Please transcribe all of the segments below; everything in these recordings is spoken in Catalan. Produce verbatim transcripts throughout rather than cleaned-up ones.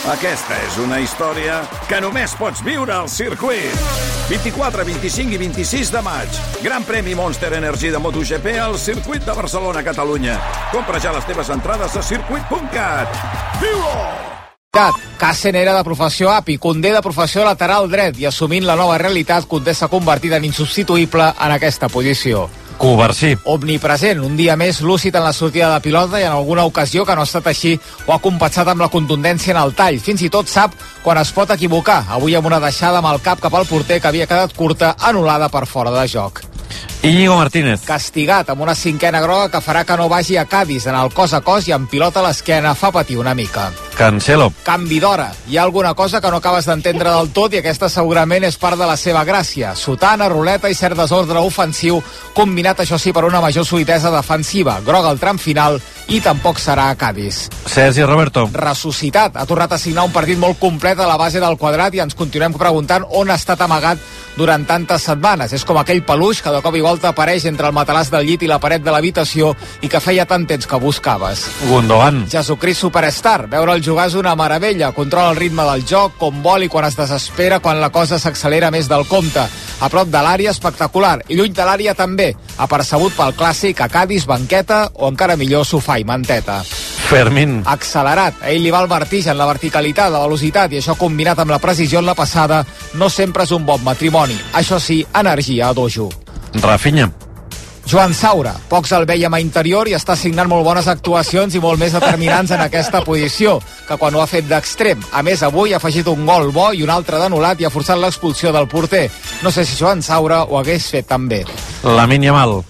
Aquesta és una història que només pots viure al circuit. vint-i-quatre, vint-i-cinc i vint-i-sis de maig. Gran premi Monster Energy de MotoGP al circuit de Barcelona, Catalunya. Compra ja les teves entrades a circuit punt cat. Viu-ho! Cassen era de professió A P I, Condé de professió lateral dret i assumint la nova realitat, Condé s'ha convertit en insubstituïble en aquesta posició. Covarsí. Omnipresent, un dia més lúcid en la sortida de pilota i en alguna ocasió que no ha estat així ho ha compensat amb la contundència en el tall. Fins i tot sap quan es pot equivocar. Avui amb una deixada amb el cap cap al porter que havia quedat curta, anul·lada per fora de joc. Íñigo Martínez. Castigat amb una cinquena groga que farà que no vagi a Cádiz. En el cos a cos i amb pilota a l'esquena fa patir una mica. Cancelo. Canvi d'hora. Hi ha alguna cosa que no acabes d'entendre del tot i aquesta segurament és part de la seva gràcia. Sotana, ruleta i cert desordre ofensiu, combinat això sí per una major solidesa defensiva. Groga al tram final i tampoc serà a Cádiz. Sergi Roberto. Ressuscitat. Ha tornat a signar un partit molt complet a la base del quadrat i ens continuem preguntant on ha estat amagat durant tantes setmanes. És com aquell peluix que de cop i volta apareix entre el matalàs del llit i la paret de l'habitació i que feia tant temps que buscaves. Gundogan. Jesucrist Superstar. Veure'l jugar és una meravella. Controla el ritme del joc, com vol i quan es desespera, quan la cosa s'accelera més del compte. A prop de l'àrea, espectacular. I lluny de l'àrea també. Apercebut pel clàssic a Cádiz, banqueta o encara millor sofà i manteta. Fermín. Accelerat. A ell li va el vertigen, la verticalitat, la velocitat i això combinat amb la precisió en la passada no sempre és un bon matrimoni. Això sí, energia a dojo. Rafinha. Joan Saura, pocs el veiem a interior i està signant molt bones actuacions i molt més determinants en aquesta posició, que quan ho ha fet d'extrem. A més, avui ha afegit un gol bo i un altre d'anul·lat i ha forçat l'expulsió del porter. No sé si Joan Saura ho hagués fet tan bé. Lamine Yamal.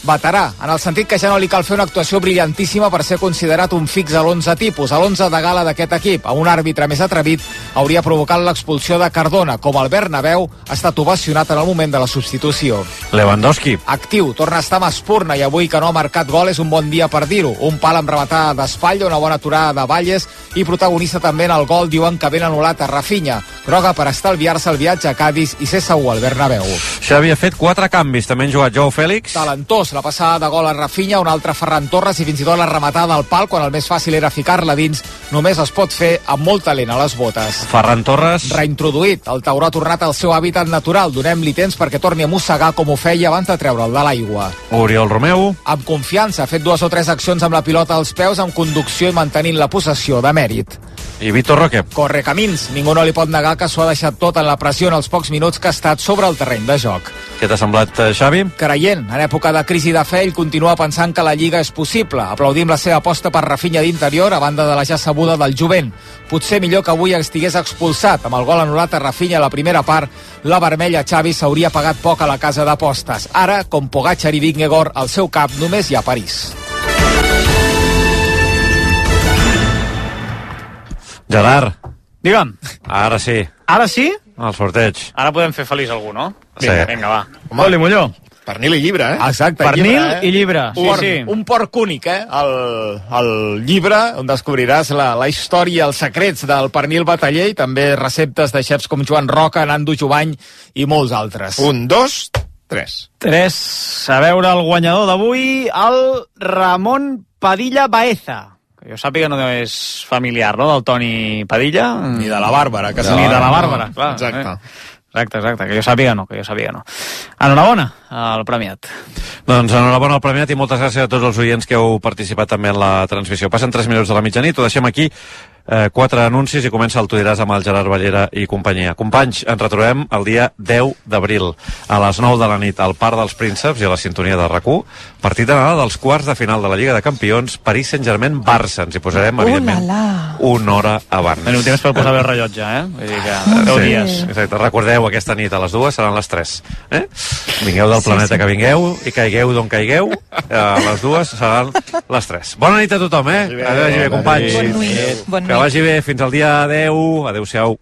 Veterà, en el sentit que ja no li cal fer una actuació brillantíssima per ser considerat un fix a l'onze tipus, a l'onze de gala d'aquest equip. A un àrbitre més atrevit hauria provocat l'expulsió de Cardona. Com el Bernabéu, ha estat ovacionat en el moment de la substitució. Lewandowski. Actiu, torna a estar amb espurna i avui que no ha marcat gol és un bon dia per dir-ho. Un pal amb rematada d'espatlla, una bona aturada de Valles i protagonista també en el gol, diuen que ben anul·lat a Rafinha. Groga per estalviar-se el viatge a Cádiz i ser segur al Bernabéu. Xavi ha fet quatre canvis, també han jugat Joao Fèlix. Talentós, la passada de gol a Rafinha, un altre Ferran Torres i fins i tot la rematada al pal quan el més fàcil era ficar-la dins, només es pot fer amb molt talent a les botes. Ferran Torres. Reintroduït, el tauró ha tornat al seu hàbitat natural, donem-li temps perquè torni a mossegar com ho feia abans de treure'l de l'aigua. Oriol Romeu. Amb confiança, ha fet dues o tres accions amb la pilota als peus, amb conducció i mantenint la possessió de mèrit. I Vitor Roque. Corre camins, ningú no li pot negar que s'ho ha deixat tot en la pressió en els pocs minuts que ha estat sobre el terreny de joc. Què t'ha semblat, Xavi? Creient, en època de crisi de fe, ell continua pensant que la Lliga és possible. Aplaudim la seva aposta per Rafinha d'interior a banda de la ja sabuda del jovent. Potser millor que avui estigués expulsat. Amb el gol anul·lat a Rafinha a la primera part, la vermella Xavi s'hauria pagat poc a la casa d'apostes. Ara, com Pogacar i Vingegaard, al seu cap només hi ha París. Gerard. Digue'm. Ara sí. Ara sí? El sorteig. Ara podem fer feliç algú, no? Sí. Vinga, vinga, va. Oli Molló. Pernil i llibre, eh? Exacte. Pernil llibre, eh? i llibre. Sí, un, sí. Un porc únic, eh? El, el llibre on descobriràs la, la història, els secrets del pernil bataller i també receptes de xefs com Joan Roca, Nando Jovany i molts altres. Un, dos, tres. Tres. A veure el guanyador d'avui, el Ramon Padilla Baeza. Que jo sàpiga no és familiar, no?, del Toni Padilla. Ni de la Bàrbara. Que Ni de la Bàrbara, clar. Exacte. Eh? Exacte, exacte, que jo sàpiga no, que jo sàpiga no. Enhorabona al premiat. Doncs enhorabona al premiat i moltes gràcies a tots els oients que heu participat també en la transmissió. Passen tres minuts de la mitjanit, ho deixem aquí. Eh, quatre anuncis i comença el Tu diràs amb el Gerard Ballera i companyia. Companys, ens retrobem el dia deu d'abril a les nou de la nit al Parc dels Prínceps i a la sintonia de RAC u, partit d'anada dels quarts de final de la Lliga de Campions, Paris Saint-Germain-Barça. Ens hi posarem, evidentment, una hora abans. Teniu temps per posar bé el rellotge, eh? Vull dir que deu sí, dies. Exacte. Recordeu, aquesta nit a les dues seran les tres. Eh? Vingueu del planeta sí, sí. que vingueu i caigueu d'on caigueu. A les dues seran les tres. Bona nit a tothom, eh? Que vagi bé, companys. Bon nit. Bon nit. Que vagi bé. Fins al dia deu. Adéu-siau.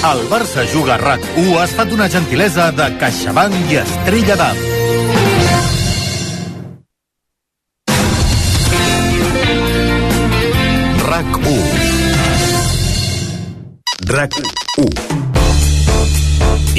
El Barça Juga a RAC u ha estat una gentilesa de CaixaBank i Estrella d'Am. RAC u. RAC u.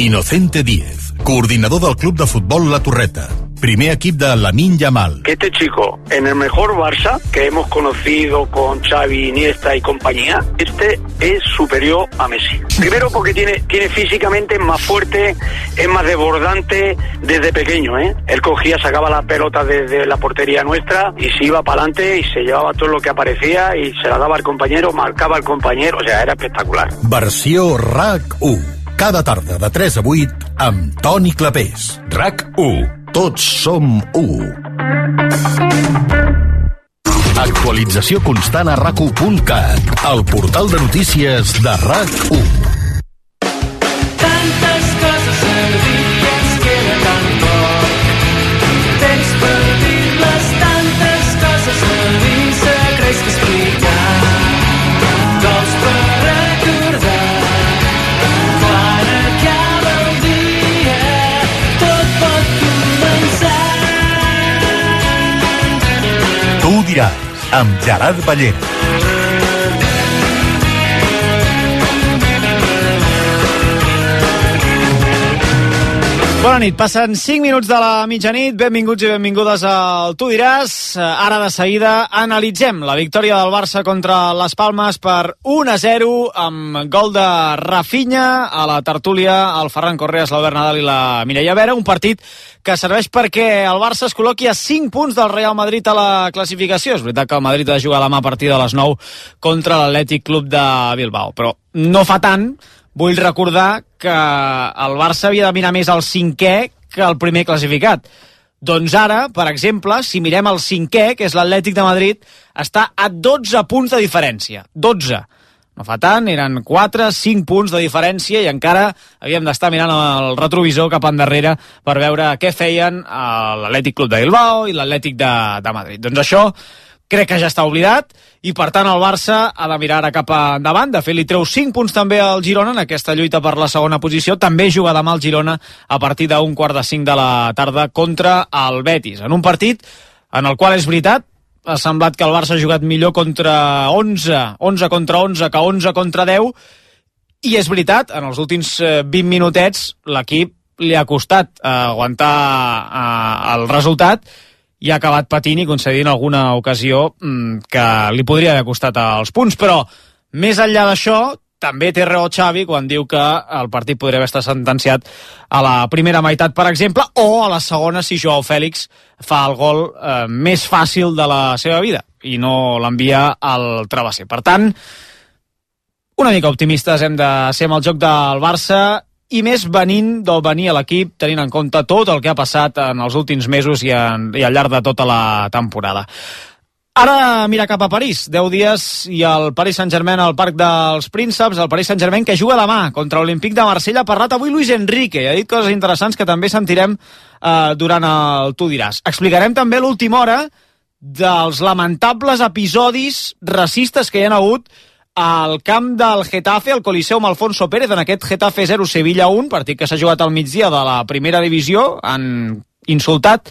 Inocente Díez, coordinador del Club de Futbol La Torreta. primer equip de Lamine Yamal. Que este chico, en el mejor Barça que hemos conocido con Xavi, Iniesta y compañía, este es superior a Messi. Primero porque tiene, tiene físicamente más fuerte, es más desbordante desde pequeño, ¿eh? Él cogía, sacaba la pelota desde la portería nuestra y se iba para adelante y se llevaba todo lo que aparecía y se la daba al compañero, marcaba al compañero, o sea, era espectacular. Versió R A C u. Cada tarda de tres a vuit amb Toni Clapés. R A C u. Tots som u. Actualització constant a rac u punt cat, el portal de notícies de R A C u. Tantes coses a dir i ens queda tan poc. Temps per dir-les, tantes coses a dir, secrets que explicar, gols per recordar. Quan acaba el dia, tot pot començar. Tu ho diràs, amb Gerard Ballera. Bona nit, passen cinc minuts de la mitjanit, benvinguts i benvingudes al Tu diràs. Ara de seguida analitzem la victòria del Barça contra les Palmes per un a zero amb gol de Rafinha. A la tertúlia el Ferran Correas, l'Albert Nadal i la Mireia Vera, un partit que serveix perquè el Barça es col·loqui a cinc punts del Real Madrid a la classificació. És veritat que el Madrid ha de jugar demà a partir de les nou contra l'Atlètic Club de Bilbao, però no fa tant. Vull recordar que el Barça havia de mirar més al cinquè que el primer classificat. Doncs ara, per exemple, si mirem el cinquè, que és l'Atlètic de Madrid, està a dotze punts de diferència. dotze. No fa tant, eren quatre, cinc punts de diferència i encara havíem d'estar mirant el retrovisor cap endarrere per veure què feien l'Atlètic Club de Bilbao i l'Atlètic de, de Madrid. Doncs això crec que ja està oblidat i per tant el Barça ha de mirar ara cap endavant. De fet, li treu cinc punts també al Girona en aquesta lluita per la segona posició. També juga demà el Girona a partir d'un quart de cinc de la tarda contra el Betis. En un partit en el qual és veritat, ha semblat que el Barça ha jugat millor contra onze, onze contra onze que onze contra deu, i és veritat, en els últims vint minutets l'equip li ha costat aguantar el resultat i ha acabat patint i concedint alguna ocasió que li podria haver costat els punts, però més enllà d'això també té raó Xavi quan diu que el partit podria haver estat sentenciat a la primera meitat, per exemple, o a la segona si Joao Fèlix fa el gol eh, més fàcil de la seva vida i no l'envia al travesser. Per tant, una mica optimistes hem de ser amb el joc del Barça i més venint del venir a l'equip, tenint en compte tot el que ha passat en els últims mesos i, en, i al llarg de tota la temporada. Ara mira cap a París, deu dies i el Paris Saint-Germain al Parc dels Prínceps, el Paris Saint-Germain que juga demà contra l'Olímpic de Marsella. Ha parlat avui Luis Enrique i ha dit coses interessants que també sentirem eh, durant el Tu diràs. Explicarem també l'última hora dels lamentables episodis racistes que hi ha hagut al camp del Getafe, al Coliseum Alfonso Pérez, en aquest Getafe zero Sevilla un, partit que s'ha jugat al migdia de la primera divisió. Han insultat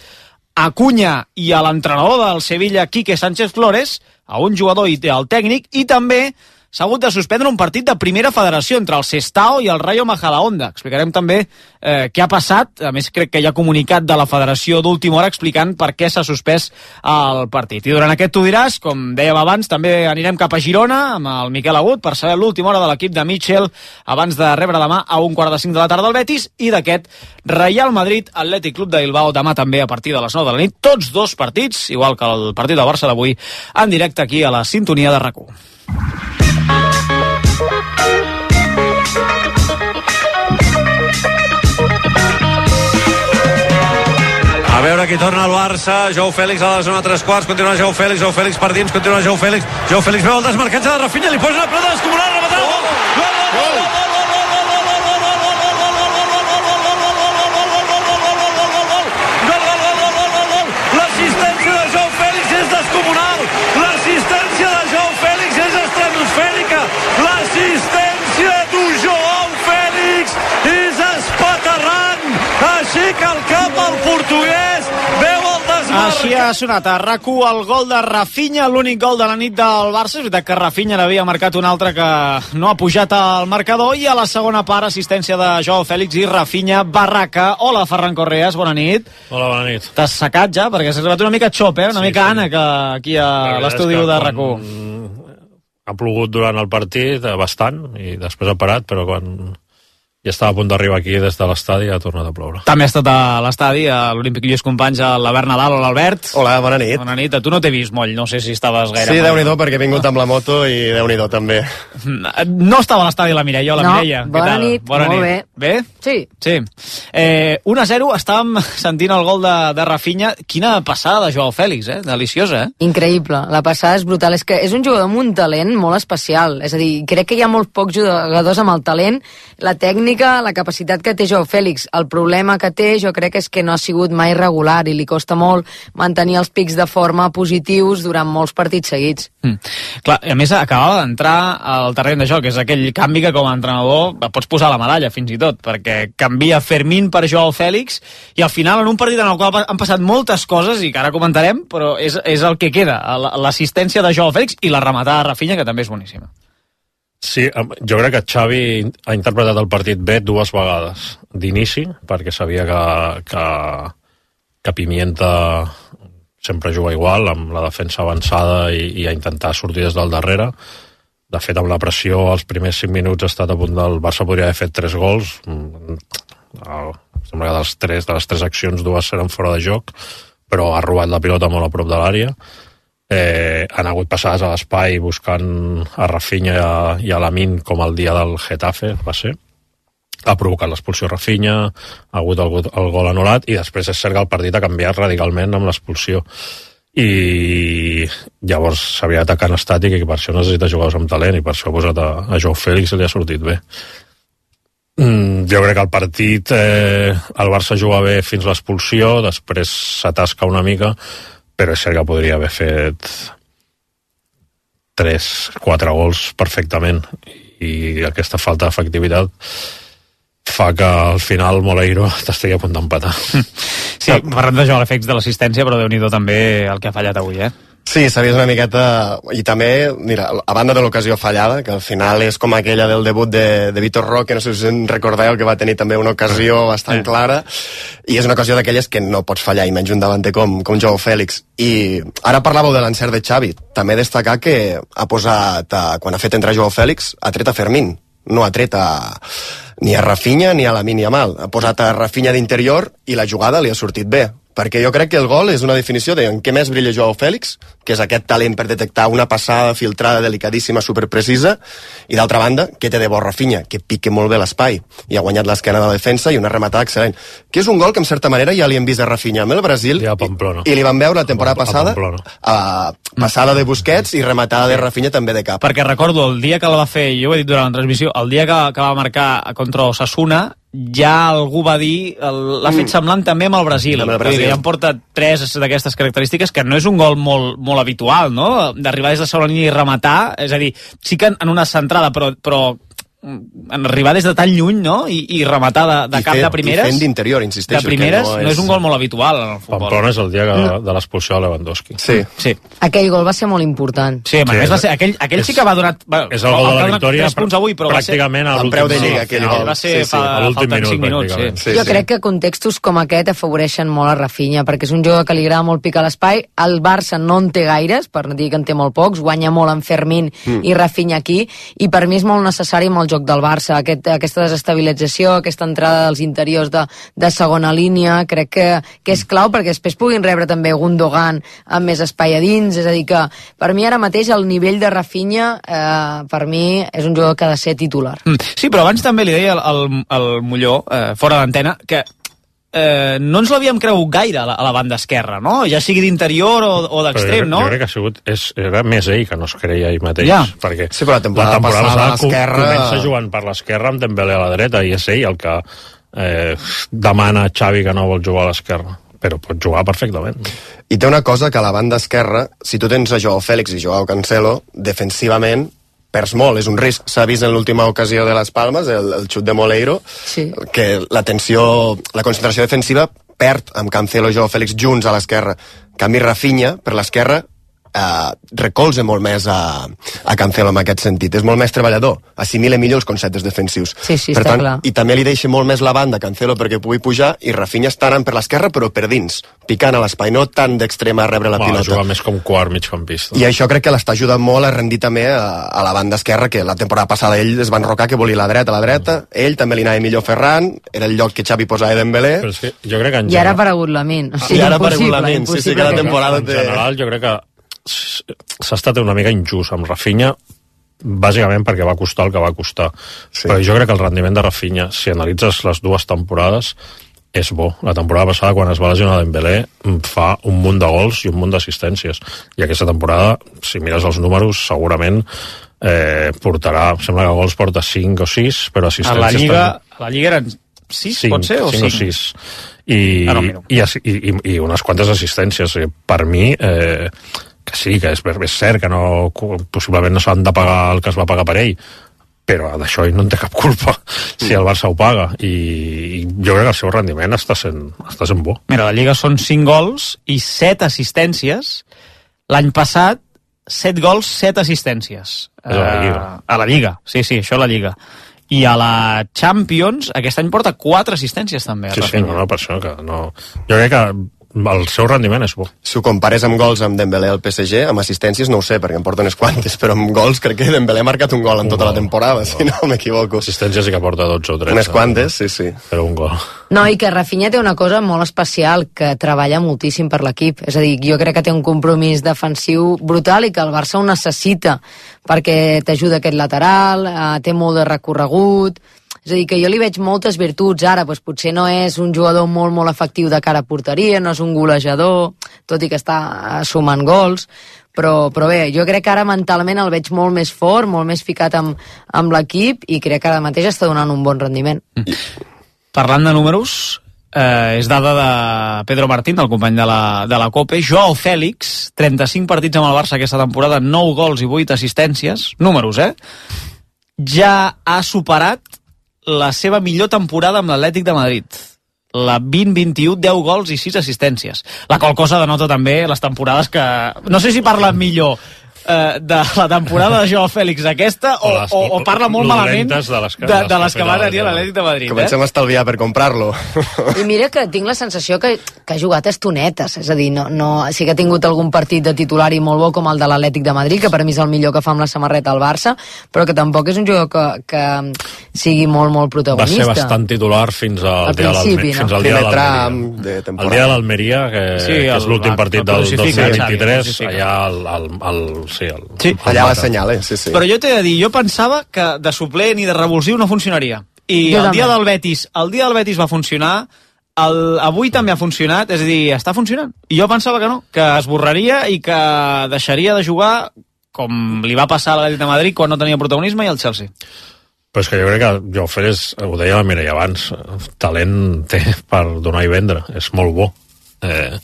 a Cunha i a l'entrenador del Sevilla, Quique Sánchez Flores, a un jugador i al tècnic, i també s'ha hagut de suspendre un partit de primera federació entre el Sestao i el Rayo Majadahonda. Explicarem també eh, què ha passat. A més, crec que hi ha comunicat de la federació d'última hora explicant per què s'ha suspès el partit. I durant aquest Tu diràs, com dèiem abans, també anirem cap a Girona amb el Miquel Agut per saber l'última hora de l'equip de Mitchell abans de rebre demà a un quart de cinc de la tarda al Betis, i d'aquest Real Madrid Atlètic Club de Bilbao demà també a partir de les nou de la nit. Tots dos partits, igual que el partit del Barça d'avui, en directe aquí a la sintonia de R A C u. A veure qui torna al Barça. Joao Fèlix a la zona tres quarts, continua Joao Fèlix, Joao Fèlix per dins, continua Joao Fèlix, Joao Fèlix veu el desmarcatge de Rafinha, li posa una pelota descomunal, rematada, gol, gol, gol, gol, l'assistència de Joao Fèlix és descomunal, l'assistència de Joao Fèlix és estratosfèrica, l'assistència de Joao Fèlix és espaterrant, aixeca el cap al portuguès, veu el desmarcatge. Així ha ha sonat a RAC u el gol de Rafinha, l'únic gol de la nit del Barça. És veritat que Rafinha n'havia marcat un altre que no ha pujat al marcador, i a la segona part assistència de Joao Fèlix i Rafinha Barraca. Hola, Ferran Correas, bona nit. Hola, bona nit. T'has secat ja? Perquè s'ha arribat una mica xop, eh? Una sí, mica sí. ànec aquí a l'estudi de RAC u. Ha plogut durant el partit bastant i després ha parat, però quan ja estava a punt d'arribar aquí des de l'estadi ha tornat a ploure. També ha estat a l'estadi, a l'Olímpic Lluís Companys, a l'Albert Nadal. Hola, Albert. Hola, bona nit. Bona nit. A tu no t'he vist moll, no sé si estaves gaire... Sí, déu-n'hi-do, perquè he vingut amb la moto i déu-n'hi-do també. No estava a l'estadi la Mireia. Hola, no, Mireia. bona nit, bona molt nit. bé. Bé? Sí. Sí. Eh, un a zero, estàvem sentint el gol de, de Rafinha. Quina passada de Joao Fèlix, eh? Deliciosa, eh? Increïble, la passada és brutal. És que és un jugador amb un talent molt especial. És a dir, crec que hi ha molts pocs jugadors amb el talent, la tècnica, la capacitat que té Joao Fèlix. El problema que té, jo crec, és que no ha sigut mai regular i li costa molt mantenir els pics de forma positius durant molts partits seguits. Mm. Clar, a més, acabava d'entrar al terreny de joc. És aquell canvi que com a entrenador pots posar la medalla, fins i tot, perquè canvia Fermín per Joao Fèlix i al final, en un partit en el qual han passat moltes coses i que ara comentarem, però és, és el que queda, l'assistència de Joao Fèlix i la rematada de Rafinha, que també és boníssima. Sí, jo crec que Xavi ha interpretat el partit bé dues vegades. D'inici, perquè sabia que, que, que Pimienta sempre juga igual, amb la defensa avançada i, i a intentar sortir des del darrere. De fet, amb la pressió, els primers cinc minuts ha estat a punt del Barça, podria haver fet tres gols. Sembla que dels tres, de les tres accions, dues eren fora de joc, però ha robat la pilota molt a prop de l'àrea. Eh, han hagut passades a l'espai buscant a Rafinha i a, i a Lamine, com el dia del Getafe va ser. Ha provocat l'expulsió Rafinha, ha hagut el, el gol anul·lat, i després és cert que el partit ha canviat radicalment amb l'expulsió, i llavors s'havia d'atacar en estàtic, i per això necessita jugadors amb talent, i per això ha posat a, a Joao Fèlix i li ha sortit bé. Mm, jo crec que el partit eh, el Barça juga bé fins l'expulsió, després s'atasca una mica, però és cert que podria haver fet tres, quatre gols perfectament, i aquesta falta d'efectivitat fa que al final Moleiro t'estigui a punt d'empatar. Sí, parlem de Joao Fèlix, de l'assistència, però Déu-n'hi-do també el que ha fallat avui, eh? Sí, s'ha vist una miqueta, i també, mira, a banda de l'ocasió fallada, que al final és com aquella del debut de, de Vitor Roque, no sé si us recordeu, que va tenir també una ocasió bastant clara, i és una ocasió d'aquelles que no pots fallar, i menys un davanter com, com Joao Fèlix. I ara parlàveu de l'encert de Xavi, també destacar que ha posat, a, quan ha fet entrar Joao Fèlix, ha tret a Fermín, no ha tret a, ni a Rafinha ni a Lamine Yamal, ha posat a Rafinha d'interior i la jugada li ha sortit bé, perquè jo crec que el gol és una definició de en què més brilla Joao Fèlix, que és aquest talent per detectar una passada filtrada delicadíssima, superprecisa, i d'altra banda, què té de bo Rafinha, que pique molt bé l'espai, i ha guanyat l'esquena de la defensa i una rematada excel·lent, que és un gol que en certa manera ja li hem vist a Rafinha amb el Brasil, ja, Pamplona. i, i li van veure la temporada a passada, a, passada de Busquets i rematada de Rafinha també de cap. Perquè recordo, el dia que la va fer, jo ho he dit durant la transmissió, el dia que, que va marcar contra Osasuna, ja algú va dir, l'ha fet semblant també amb el Brasil, amb el Brasil. ja han portat tres d'aquestes característiques, que no és un gol molt, molt habitual, no? D'arribar des de segona línia i rematar, és a dir, sí que en una centrada, però, però en arribar des de tan lluny, no? I, i rematar de, de cap fet, de primeres. I fent d'interior, insisteixo. De primeres, no és... no és un gol molt habitual en el futbol. Pamplona és el dia que, no. de l'expulsió de Lewandowski. Sí. sí. Aquell gol va ser molt important. Sí, sí, va ser, aquell, aquell és, sí que va donar... Bueno, és el gol de la victòria, tres punts avui, però pràcticament va ser... el preu de lliga. Aquell no, va ser sí, sí. fa, faltant cinc minuts. Sí. Sí, jo sí. crec que contextos com aquest afavoreixen molt a Rafinha, perquè és un jugador que li agrada molt picar l'espai. El Barça no en té gaires, per no dir que en té molt pocs, guanya molt en Fermín mm. i Rafinha aquí, i per mi és molt necessari amb el joc del Barça, aquest, aquesta desestabilització, aquesta entrada dels interiors de, de segona línia, crec que, que és clau perquè després puguin rebre també Gundogan amb més espai a dins, és a dir que per mi ara mateix el nivell de Rafinha eh, per mi és un jugador que ha de ser titular. Sí, però abans també li deia al, al Molló, eh, fora d'antena, que eh, no ens l'havíem cregut gaire a la, a la banda esquerra, no? Ja sigui d'interior o, o d'extrem, no? Jo crec que ha sigut, és, era més ell que no es creia ell mateix, ja. perquè sí, però la temporada, la temporada passada passada l'esquerra... comença jugant per l'esquerra amb Dembélé a la dreta, i és ell el que eh, demana a Xavi que no vol jugar a l'esquerra, però pot jugar perfectament. I té una cosa que a la banda esquerra, si tu tens a Joao Fèlix i Joao Cancelo, defensivament perds molt, és un risc. S'ha vist en l'última ocasió de les Palmes, el, el xut de Moleiro, sí. que la tensió, la concentració defensiva perd amb Cancelo, Joao Fèlix junts a l'esquerra. En canvi, Rafinha, per l'esquerra, Uh, recolza molt més a, a Cancelo en aquest sentit, és molt més treballador, assimila millor els conceptes defensius, sí, sí, per tant, clar. i també li deixa molt més la banda a Cancelo perquè pugui pujar, i Rafinha està anant per l'esquerra però per dins, picant a l'espai, no tant d'extrema a rebre la Va, pilota. Juga més com quart migcampista. I això crec que l'està ajudant molt a rendir també a, a la banda esquerra, que la temporada passada ell es va enrocar que volia la dreta a la dreta, ell també li anava millor Ferran, era el lloc que Xavi posava Dembélé. Però és que jo crec que en I ara ha aparegut Lamin. O sigui, I ara ha aparegut impossible, Lamin, sí, sí, impossible cada que- temporada En té... general, jo crec que s'ha estat una mica injust amb Rafinha, bàsicament perquè va costar el que va costar. Sí. Però jo crec que el rendiment de Rafinha, si analitzes les dues temporades, és bo. La temporada passada, quan es va lesionar Dembélé, fa un munt de gols i un munt d'assistències. I aquesta temporada, si mires els números, segurament eh, portarà, sembla que gols porta cinc o sis, però assistències... A la Lliga, també. a la Lliga eren sis, pot ser? O cinc o sis. I, ah, no, i, i, i unes quantes assistències. Per mi... Eh, que sí, que és, és cert que no, possiblement no s'han de pagar el que es va pagar per ell, però d'això ell no en té cap culpa si el Barça ho paga, i, i jo crec que el seu rendiment està sent, està sent bo. Mira, la Lliga són cinc gols i set assistències. L'any passat, set gols, set assistències. És a la Lliga. Uh, a la Lliga, sí, sí, això a la Lliga. I a la Champions, aquest any porta quatre assistències també. Sí, sí, no, no, per això que no... Jo crec que el seu rendiment és bo. Si ho compares amb gols amb Dembélé al P S G, amb assistències no ho sé, perquè em porta unes quantes, però amb gols crec que Dembélé ha marcat un gol en un tota gol, la temporada, si no m'equivoco. Assistències sí que porta dotze o tretze. Unes quantes, sí, sí. Però un gol. No, i que Rafinha té una cosa molt especial, que treballa moltíssim per l'equip. És a dir, jo crec que té un compromís defensiu brutal i que el Barça ho necessita, perquè t'ajuda aquest lateral, eh, té molt de recorregut. És a dir, que jo li veig moltes virtuts ara, doncs potser no és un jugador molt, molt efectiu de cara a porteria, no és un golejador, tot i que està sumant gols, però, però bé, jo crec que ara mentalment el veig molt més fort, molt més ficat amb, amb l'equip, i crec que ara mateix està donant un bon rendiment. Mm. Parlant de números, eh, és dada de Pedro Martín, el company de la, de la COPE. Joao Fèlix, trenta-cinc partits amb el Barça aquesta temporada, nou gols i vuit assistències, números, eh? Ja ha superat la seva millor temporada amb l'Atlètic de Madrid. La vint vint-i-u, deu gols i sis assistències. La qual cosa denota també les temporades que... No sé si parla millor eh, de la temporada de Joao Fèlix aquesta o, O les- o, o parla molt malament dolentes de les que- de, de les de que les que ha va fet tenir l'Atlètic de Madrid. Comencem Eh? a estalviar per comprar-lo. I mira que tinc la sensació que, que ha jugat estonetes, és a dir, no, no, sí que ha tingut algun partit de titular i molt bo com el de l'Atlètic de Madrid, que per mi és el millor que fa amb la samarreta al Barça, però que tampoc és un jugador que, que sigui molt, molt Va protagonista. ser bastant titular fins al Al dia de principi, l'Alme- no? fins al dia de Primer tram l'Almeria. de El temporada. dia de l'Almeria, que, Sí, que és el- l'últim el- partit el del crucifica, dos mil vint-i-tres, Xavi, el allà el, el, el, sí, el, Sí. el Allà mata. l'assenyala, sí, sí. Però jo t'he de dir, jo pensava que de suplent i de revulsiu no funcionaria. I Jo el dia també. del Betis, el dia del Betis va funcionar, el, avui també ha funcionat, és a dir, està funcionant. I jo pensava que no, que es borraria i que deixaria de jugar com li va passar a l'Atlètic de Madrid quan no tenia protagonisme i al Chelsea. Però és que jo crec que Joao Fèlix, ho deia la Mireia abans, talent té per donar i vendre, és molt bo. Eh,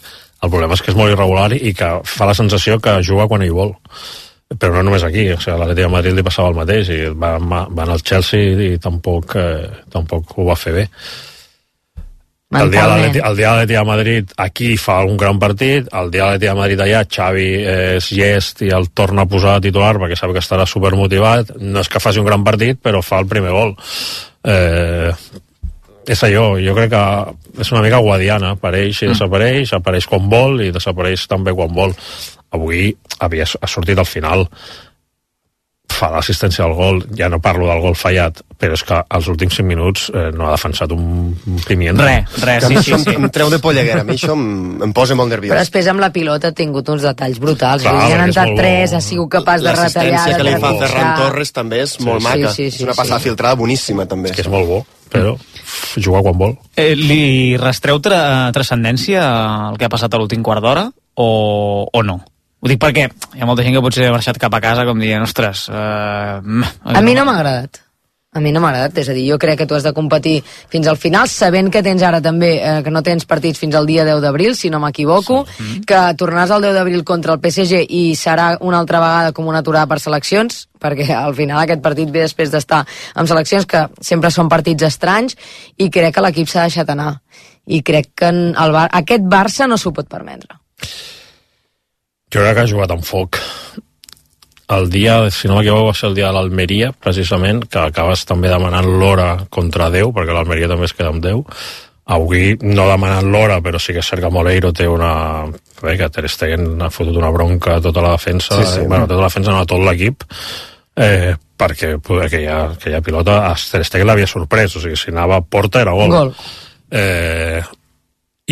el problema és que és molt irregular i que fa la sensació que juga quan ell vol. Però no només aquí, o sigui, a l'Atlètic de Madrid li passava el mateix, i va, va anar al Chelsea i tampoc, eh, tampoc ho va fer bé. El dia, de l'Atlètic- el dia de l'Atlètic de Madrid aquí fa un gran partit, el dia de l'Atlètic de Madrid allà Xavi és llest i el torna a posar titular perquè sap que estarà supermotivat, no és que faci un gran partit però fa el primer gol. Eh, és allò, jo crec que és una mica guadiana, apareix i desapareix, apareix quan vol i desapareix també quan vol. Avui havia, ha sortit al final, fa l'assistència al gol, ja no parlo del gol fallat, però és que als últims cinc minuts eh, no ha defensat un, un pimiento. Res, res, Que a sí, mi sí, això sí. em, em treu de polleguera, a mi això em, em posa molt Però nerviós. després amb la pilota ha tingut uns detalls brutals. Clar, Li han perquè és entrat molt bo. tres, ha sigut capaç de retallar, L'assistència de que li fa trepitjar. Ferran Torres també és molt sí, maca. sí, sí, és una sí. passada filtrada boníssima, també. És que és molt bo, però f, juga quan vol. Eh, li restreu tra transcendència al que ha passat a l'últim quart d'hora o, o no? Ho dic perquè hi ha molta gent que potser ha marxat cap a casa com dient, ostres... Eh, A mi no m'ha agradat. A mi no m'ha agradat, és a dir, jo crec que tu has de competir fins al final, sabent que tens ara també, eh, que no tens partits fins al dia deu d'abril, si no m'equivoco, sí. que tornaràs el deu d'abril contra el P S G i serà una altra vegada com una aturada per seleccions, perquè al final aquest partit ve després d'estar amb seleccions que sempre són partits estranys, i crec que l'equip s'ha deixat anar. i crec que en el Bar aquest Barça no s'ho pot permetre. Jo crec que ha jugat amb foc. El dia, si no m'equivoco, va ser el dia de l'Almeria, precisament, que acabes també demanant l'hora contra Déu, perquè l'Almeria també es queda amb Déu. Avui no demanant l'hora, però sí que és cert que Moleiro té una... Bé, que Ter Stegen ha fotut una bronca a tota la defensa, sí, sí. Eh, bueno, tota la defensa, no a tot l'equip, eh, perquè aquella, aquella pilota a Ter Stegen l'havia sorprès, o sigui, si anava a porta era gol. Gol. Eh,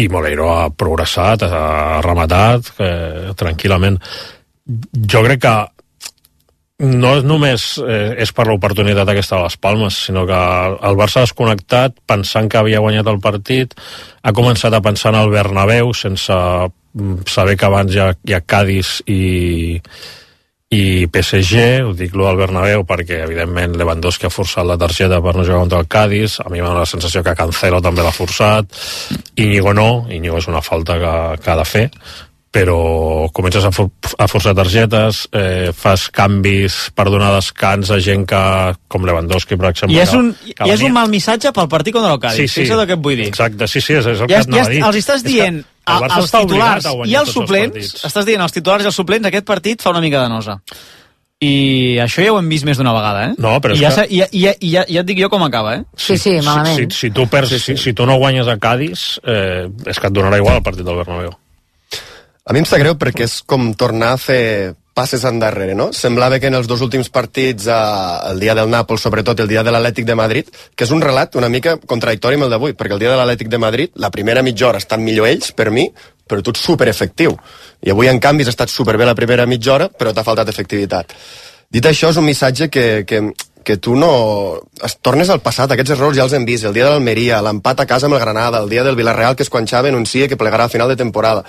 I Moleiro ha progressat, ha rematat eh, tranquil·lament. Jo crec que no és només eh, és per l'oportunitat aquesta de les Palmes, sinó que el Barça ha desconnectat pensant que havia guanyat el partit, ha començat a pensar en el Bernabéu sense saber que abans hi ha, hi ha Cádiz i, i P S G. Ho dic lo del Bernabéu perquè evidentment Lewandowski ha forçat la targeta per no jugar contra el Cádiz, a mi m'ha donat la sensació que Cancelo també l'ha forçat, Íñigo no, Íñigo és una falta que, que ha de fer, però comences a, for a forçar targetes, eh, fas canvis per donar descans a gent que, com Lewandowski, per exemple. I és un, que, que i és un mal missatge pel partit contra el Cádiz, sí, sí. És el que et vull dir. Exacte, sí, sí, és, és el ja, que et anava ja a dir. Els estàs dient als titulars i als suplents, estàs dient als titulars i als suplents, aquest partit fa una mica de nosa. I això ja ho hem vist més d'una vegada, eh? No, però I, ja, que... i, ja, i, ja, i ja, ja et dic jo com acaba, eh? Sí, sí, malament. Si, si, si, tu, perds, sí, sí. Si, si tu no guanyes a Cádiz, eh, és que et donarà igual el partit del Bernabéu. A mi em sap greu perquè és com tornar a fer passes endarrere, no? Semblava que en els dos últims partits, eh, el dia del Nàpols, sobretot el dia de l'Atlètic de Madrid, que és un relat una mica contradictori amb el d'avui, perquè el dia de l'Atlètic de Madrid, la primera mitja hora estan millor ells, per mi, però tu ets superefectiu. I avui, en canvi, has estat superbé la primera mitja hora, però t'ha faltat efectivitat. Dit això, és un missatge que, que, que tu no... Es tornes al passat, aquests errors ja els hem vist, el dia de l'Almeria, l'empat a casa amb el Granada, el dia del Villarreal, que és quan Xavi anuncia que plegarà a final de temporada.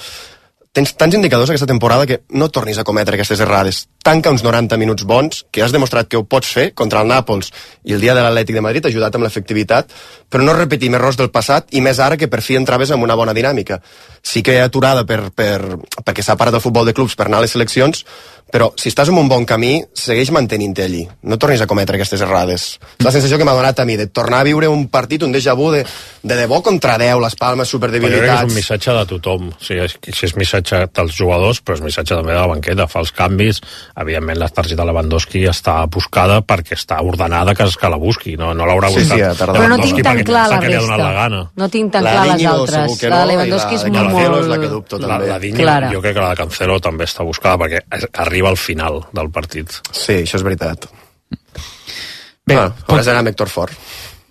Tens tants indicadors aquesta temporada que no tornis a cometre aquestes errades. Tanca uns noranta minuts bons, que has demostrat que ho pots fer contra el Nàpols i el dia de l'Atlètic de Madrid, ha ajudat amb l'efectivitat, però no repetim errors del passat, i més ara que per fi entraves amb una bona dinàmica. Sí que hi ha aturada per, per, perquè s'ha parat el futbol de clubs per anar a les seleccions, però si estàs en un bon camí, segueix mantenint-te allí. No tornis a cometre aquestes errades. La sensació que m'ha donat a mi de tornar a viure un partit, un déjà vu de, de debò contra deu, les Palmes superdebilitats. Però jo crec que és un missatge de tothom. O sigui, si és missatge dels jugadors, però és missatge també de la banqueta. Fa els canvis. Evidentment, la targeta de Lewandowski està buscada perquè està ordenada que, que la busqui. No, no l'haurà buscat. Sí, sí, però no tinc tan clar la resta. La no tinc tan clar les altres. No, la de Lewandowski és la, molt... és la que dubto, la, també. la Diño, jo crec que la de Cancelo també està buscada perquè arriba al final del partit. Sí, això és veritat. Bé, ah, pot... ara serà amb Héctor Fort.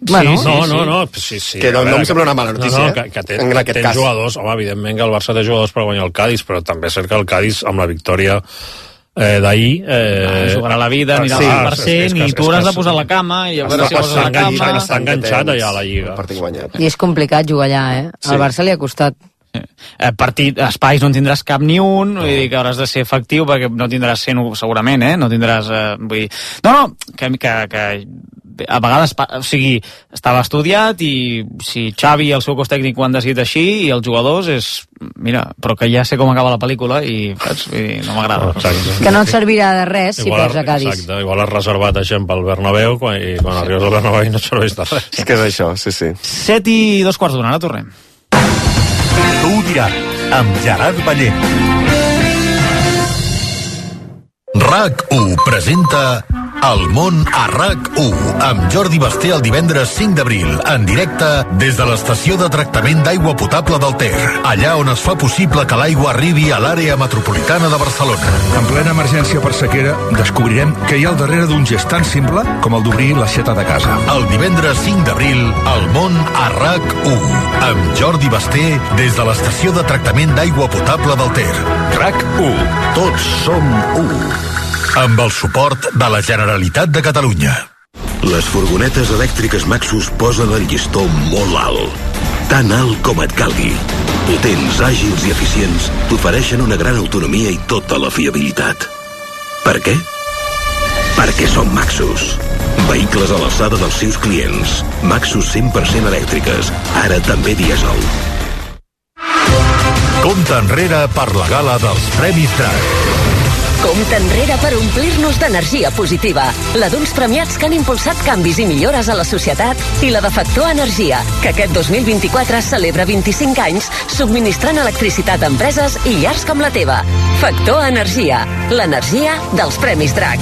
Bueno, sí, sí, no, no, no, sí, sí. Que no, no em sembla una mala notícia, no, no, que, que té, en aquest tens cas. Jugadors, home, evidentment que el Barça té jugadors per guanyar el Cádiz, però també és cert que el Cádiz, amb la victòria eh, d'ahir... Eh, ah, jugarà la vida, anirà al cent per cent, i tu hauràs de posar la cama, i a veure si poses la cama... Està enganxat allà a la Lliga. I és complicat jugar allà, eh? Al Barça li ha costat. Eh, partit, espais no en tindràs cap ni un, no. Vull dir que hauràs de ser efectiu perquè no tindràs cent segurament, eh? No tindràs... Eh, vull dir... No, no, que, que, que a vegades, o sigui, estava estudiat i si Xavi i el seu cos tècnic ho han decidit així i els jugadors és... Mira, però que ja sé com acaba la pel·lícula i, saps? Vull dir, no m'agrada. Exacte. Que no et servirà de res si perds a Cádiz. Exacte, igual has reservat a gent pel Bernabéu quan, i quan arribes al Bernabéu no et serveix de res. És que és això, sí, sí. Set i dos quarts d'una, ara tornem. Tu ho diràs, amb Gerard Ballent. RAC u presenta El món a RAC u amb Jordi Basté el divendres cinc d'abril en directe des de l'estació de tractament d'aigua potable del Ter, allà on es fa possible que l'aigua arribi a l'àrea metropolitana de Barcelona. En plena emergència per sequera descobrirem que hi ha al darrere d'un gest tan simple com el d'obrir l'aixeta de casa. El divendres cinc d'abril, El món a RAC u amb Jordi Basté des de l'estació de tractament d'aigua potable del Ter. RAC u. Tots som u. Amb el suport de la Generalitat de Catalunya. Les furgonetes elèctriques Maxus posen el llistó molt alt. Tan alt com et calgui. Potents, àgils i eficients, t'ofereixen una gran autonomia i tota la fiabilitat. Per què? Perquè són Maxus. Vehicles a l'alçada dels seus clients. Maxus cent per cent elèctriques, ara també dièsel. Compte enrere per la gala dels Premis Drac. Compte enrere per omplir-nos d'energia positiva. La d'uns premiats que han impulsat canvis i millores a la societat i la de Factor Energia, que aquest dos mil vint-i-quatre celebra vint-i-cinc anys subministrant electricitat a empreses i llars com la teva. Factor Energia, l'energia dels Premis Drac.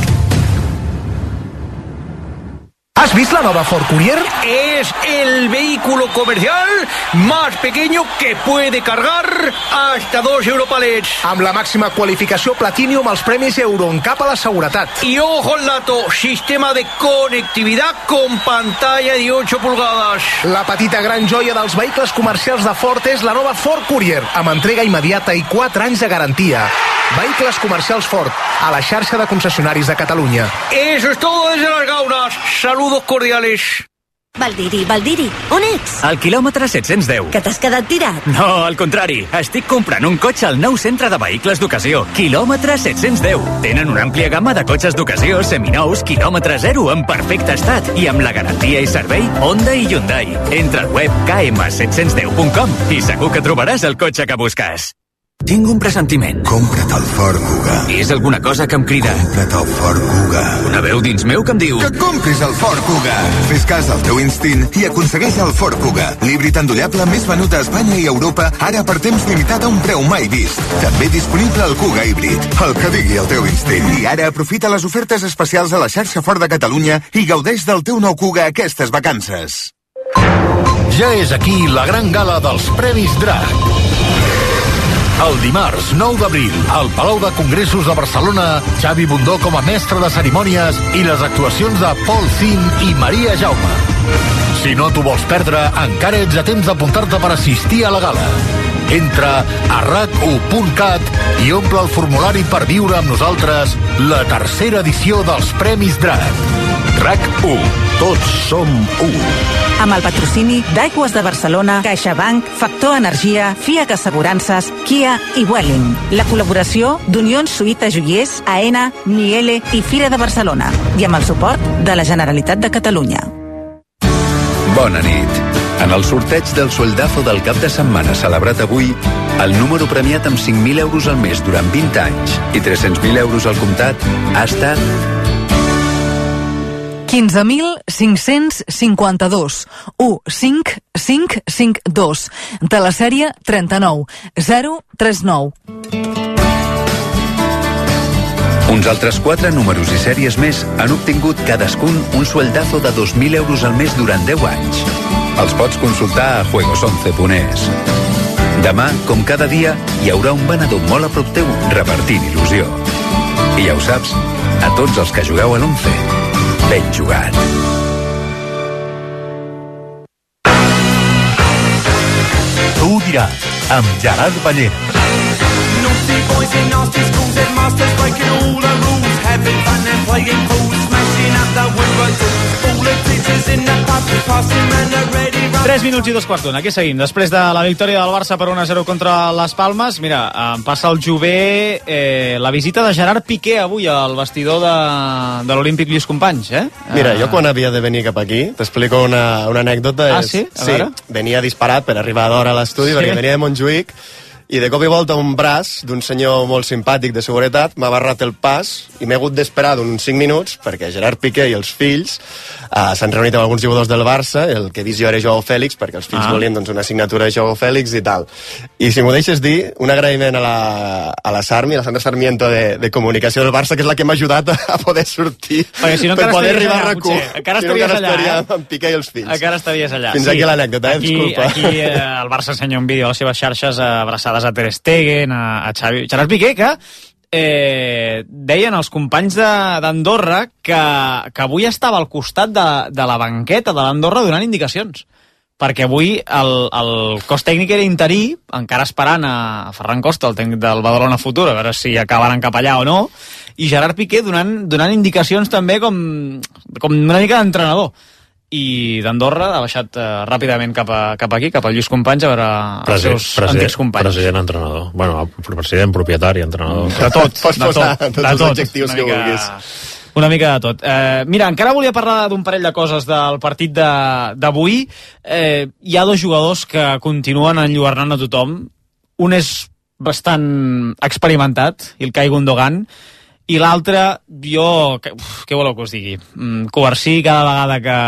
¿Has visto la nueva Ford Courier? Es el vehículo comercial más pequeño que puede cargar hasta dos Europalets. Amb la màxima qualificació Platinum als premis EuroNCAP a la seguretat. Y ojo al dato, sistema de conectividad con pantalla de ocho pulgadas. La petita gran joia dels vehicles comercials de Ford és la nova Ford Courier, amb entrega immediata i quatre anys de garantia. Vehicles comercials Ford, a la xarxa de concessionaris de Catalunya. Eso es todo desde Las Gaunas. Saludos cordiales. Valdiri, Valdiri, on ets? Al quilòmetre set-cents deu. Que t'has quedat tirat? No, al contrari. Estic comprant un cotxe al nou centre de vehicles d'ocasió. Quilòmetre set-cents deu. Tenen una àmplia gamma de cotxes d'ocasió, seminous, quilòmetre zero, en perfecte estat i amb la garantia i servei Honda i Hyundai. Entra al web k m set cents deu punt com i segur que trobaràs el cotxe que busques. Tinc un pressentiment. Compra't el Ford Kuga. És alguna cosa que em crida. Compra't el Ford Kuga. Una veu dins meu que em diu... Que compris el Ford Kuga. Fes cas al teu instint i aconsegueix el Ford Kuga. L'híbrid endollable més venut a Espanya i Europa, ara per temps limitat a un preu mai vist. També disponible el Kuga híbrid. El que digui el teu instint. I ara aprofita les ofertes especials a la xarxa Ford de Catalunya i gaudeix del teu nou Kuga aquestes vacances. Ja és aquí la gran gala dels Premis Drac. El dimarts nou d'abril, al Palau de Congressos de Barcelona, Xavi Bundó com a mestre de cerimònies i les actuacions de Paul Zin i Maria Jaume. Si no t'ho vols perdre, encara ets a temps d'apuntar-te per assistir a la gala. Entra a rac u punt cat i omple el formulari per viure amb nosaltres la tercera edició dels Premis Drac. RAC u. Tots som u. Amb el patrocini d'Aigües de Barcelona, CaixaBank, Factor Energia, FIAC Assegurances, Kia i Welling. La col·laboració d'Unió Suïta Joiers, AENA, Niele i Fira de Barcelona. I amb el suport de la Generalitat de Catalunya. Bona nit. En el sorteig del sueldazo del cap de setmana celebrat avui, el número premiat amb cinc mil euros al mes durant vint anys i tres-cents mil euros al comptat ha estat quinze mil cinc-cents cinquanta-dos, u cinc cinc cinc dos, de la sèrie trenta-nou zero tres nou. Uns altres quatre números i sèries més han obtingut cadascun un sueldazo de dos mil euros al mes durant deu anys. Els pots consultar a juegos once punt es. Demà, com cada dia, hi haurà un venedor molt a prop teu repartint il·lusió. I ja ho saps, a tots els que jugueu a l'once, ben jugat. Tu ho diràs, amb Gerard Ballera. Naughty boys in nasty schools, headmasters breaking all the rules, having fun and playing fools, smashing up the windows, all the teachers in the pub, passing man are ready. tres minuts i dos quarts d'una. Aquí seguim. Després de la victòria del Barça per un a zero contra les Palmes, mira, em passa el Jové eh, la visita de Gerard Piqué avui al vestidor de, de l'Olímpic Lluís Companys, eh? Mira, jo quan havia de venir cap aquí, t'explico una, una anècdota. Ah, és, sí? A sí, veure. venia disparat per arribar d'hora a l'estudi, sí. perquè venia de Montjuïc, i de cop i volta un braç d'un senyor molt simpàtic de seguretat m'ha barrat el pas i m'he hagut d'esperar d'uns cinc minuts perquè Gerard Piqué i els fills uh, s'han reunit amb alguns jugadors del Barça, el que he vist jo era Joao Fèlix, perquè els fills ah. volien doncs, una signatura de Joao Fèlix i tal. I si m'ho deixes dir, un agraïment a la, a la Sarmi, a la Sandra Sarmiento de, de comunicació del Barça, que és la que m'ha ajudat a poder sortir perquè si no, per poder arribar allà, a RAC u. Encara si no, estaries allà, estaria eh? amb Piqué i els fills. Encara estaries allà. Fins sí. aquí l'anècdota, eh? Aquí, Disculpa. aquí eh, el Barça ensenya un vídeo a les seves xarxes abraçades a Ter Stegen, a, a Xavi, Gerard Piqué, que eh, deien els companys d'Andorra que, que avui estava al costat de, de la banqueta de l'Andorra donant indicacions, perquè avui el, el cos tècnic era interí, encara esperant a Ferran Costa, el tècnic del Badalona Futur, a veure si acabaran cap allà o no, i Gerard Piqué donant, donant indicacions també com, com una mica d'entrenador. I d'Andorra ha baixat eh, ràpidament cap, a, cap aquí, cap al Lluís Companys, a veure els seus antics companys. President, entrenador. Bueno, president, propietari, entrenador. De tot, Pots de posar tot, tots de els tot. adjectius que vulguis. Una mica de tot. Eh, mira, encara volia parlar d'un parell de coses del partit d'avui. Eh, hi ha dos jugadors que continuen enlluernant a tothom. Un és bastant experimentat, Ilkay Gundogan, i l'altre, jo, uf, què voleu que us digui? Mm, Covarsí, cada vegada que,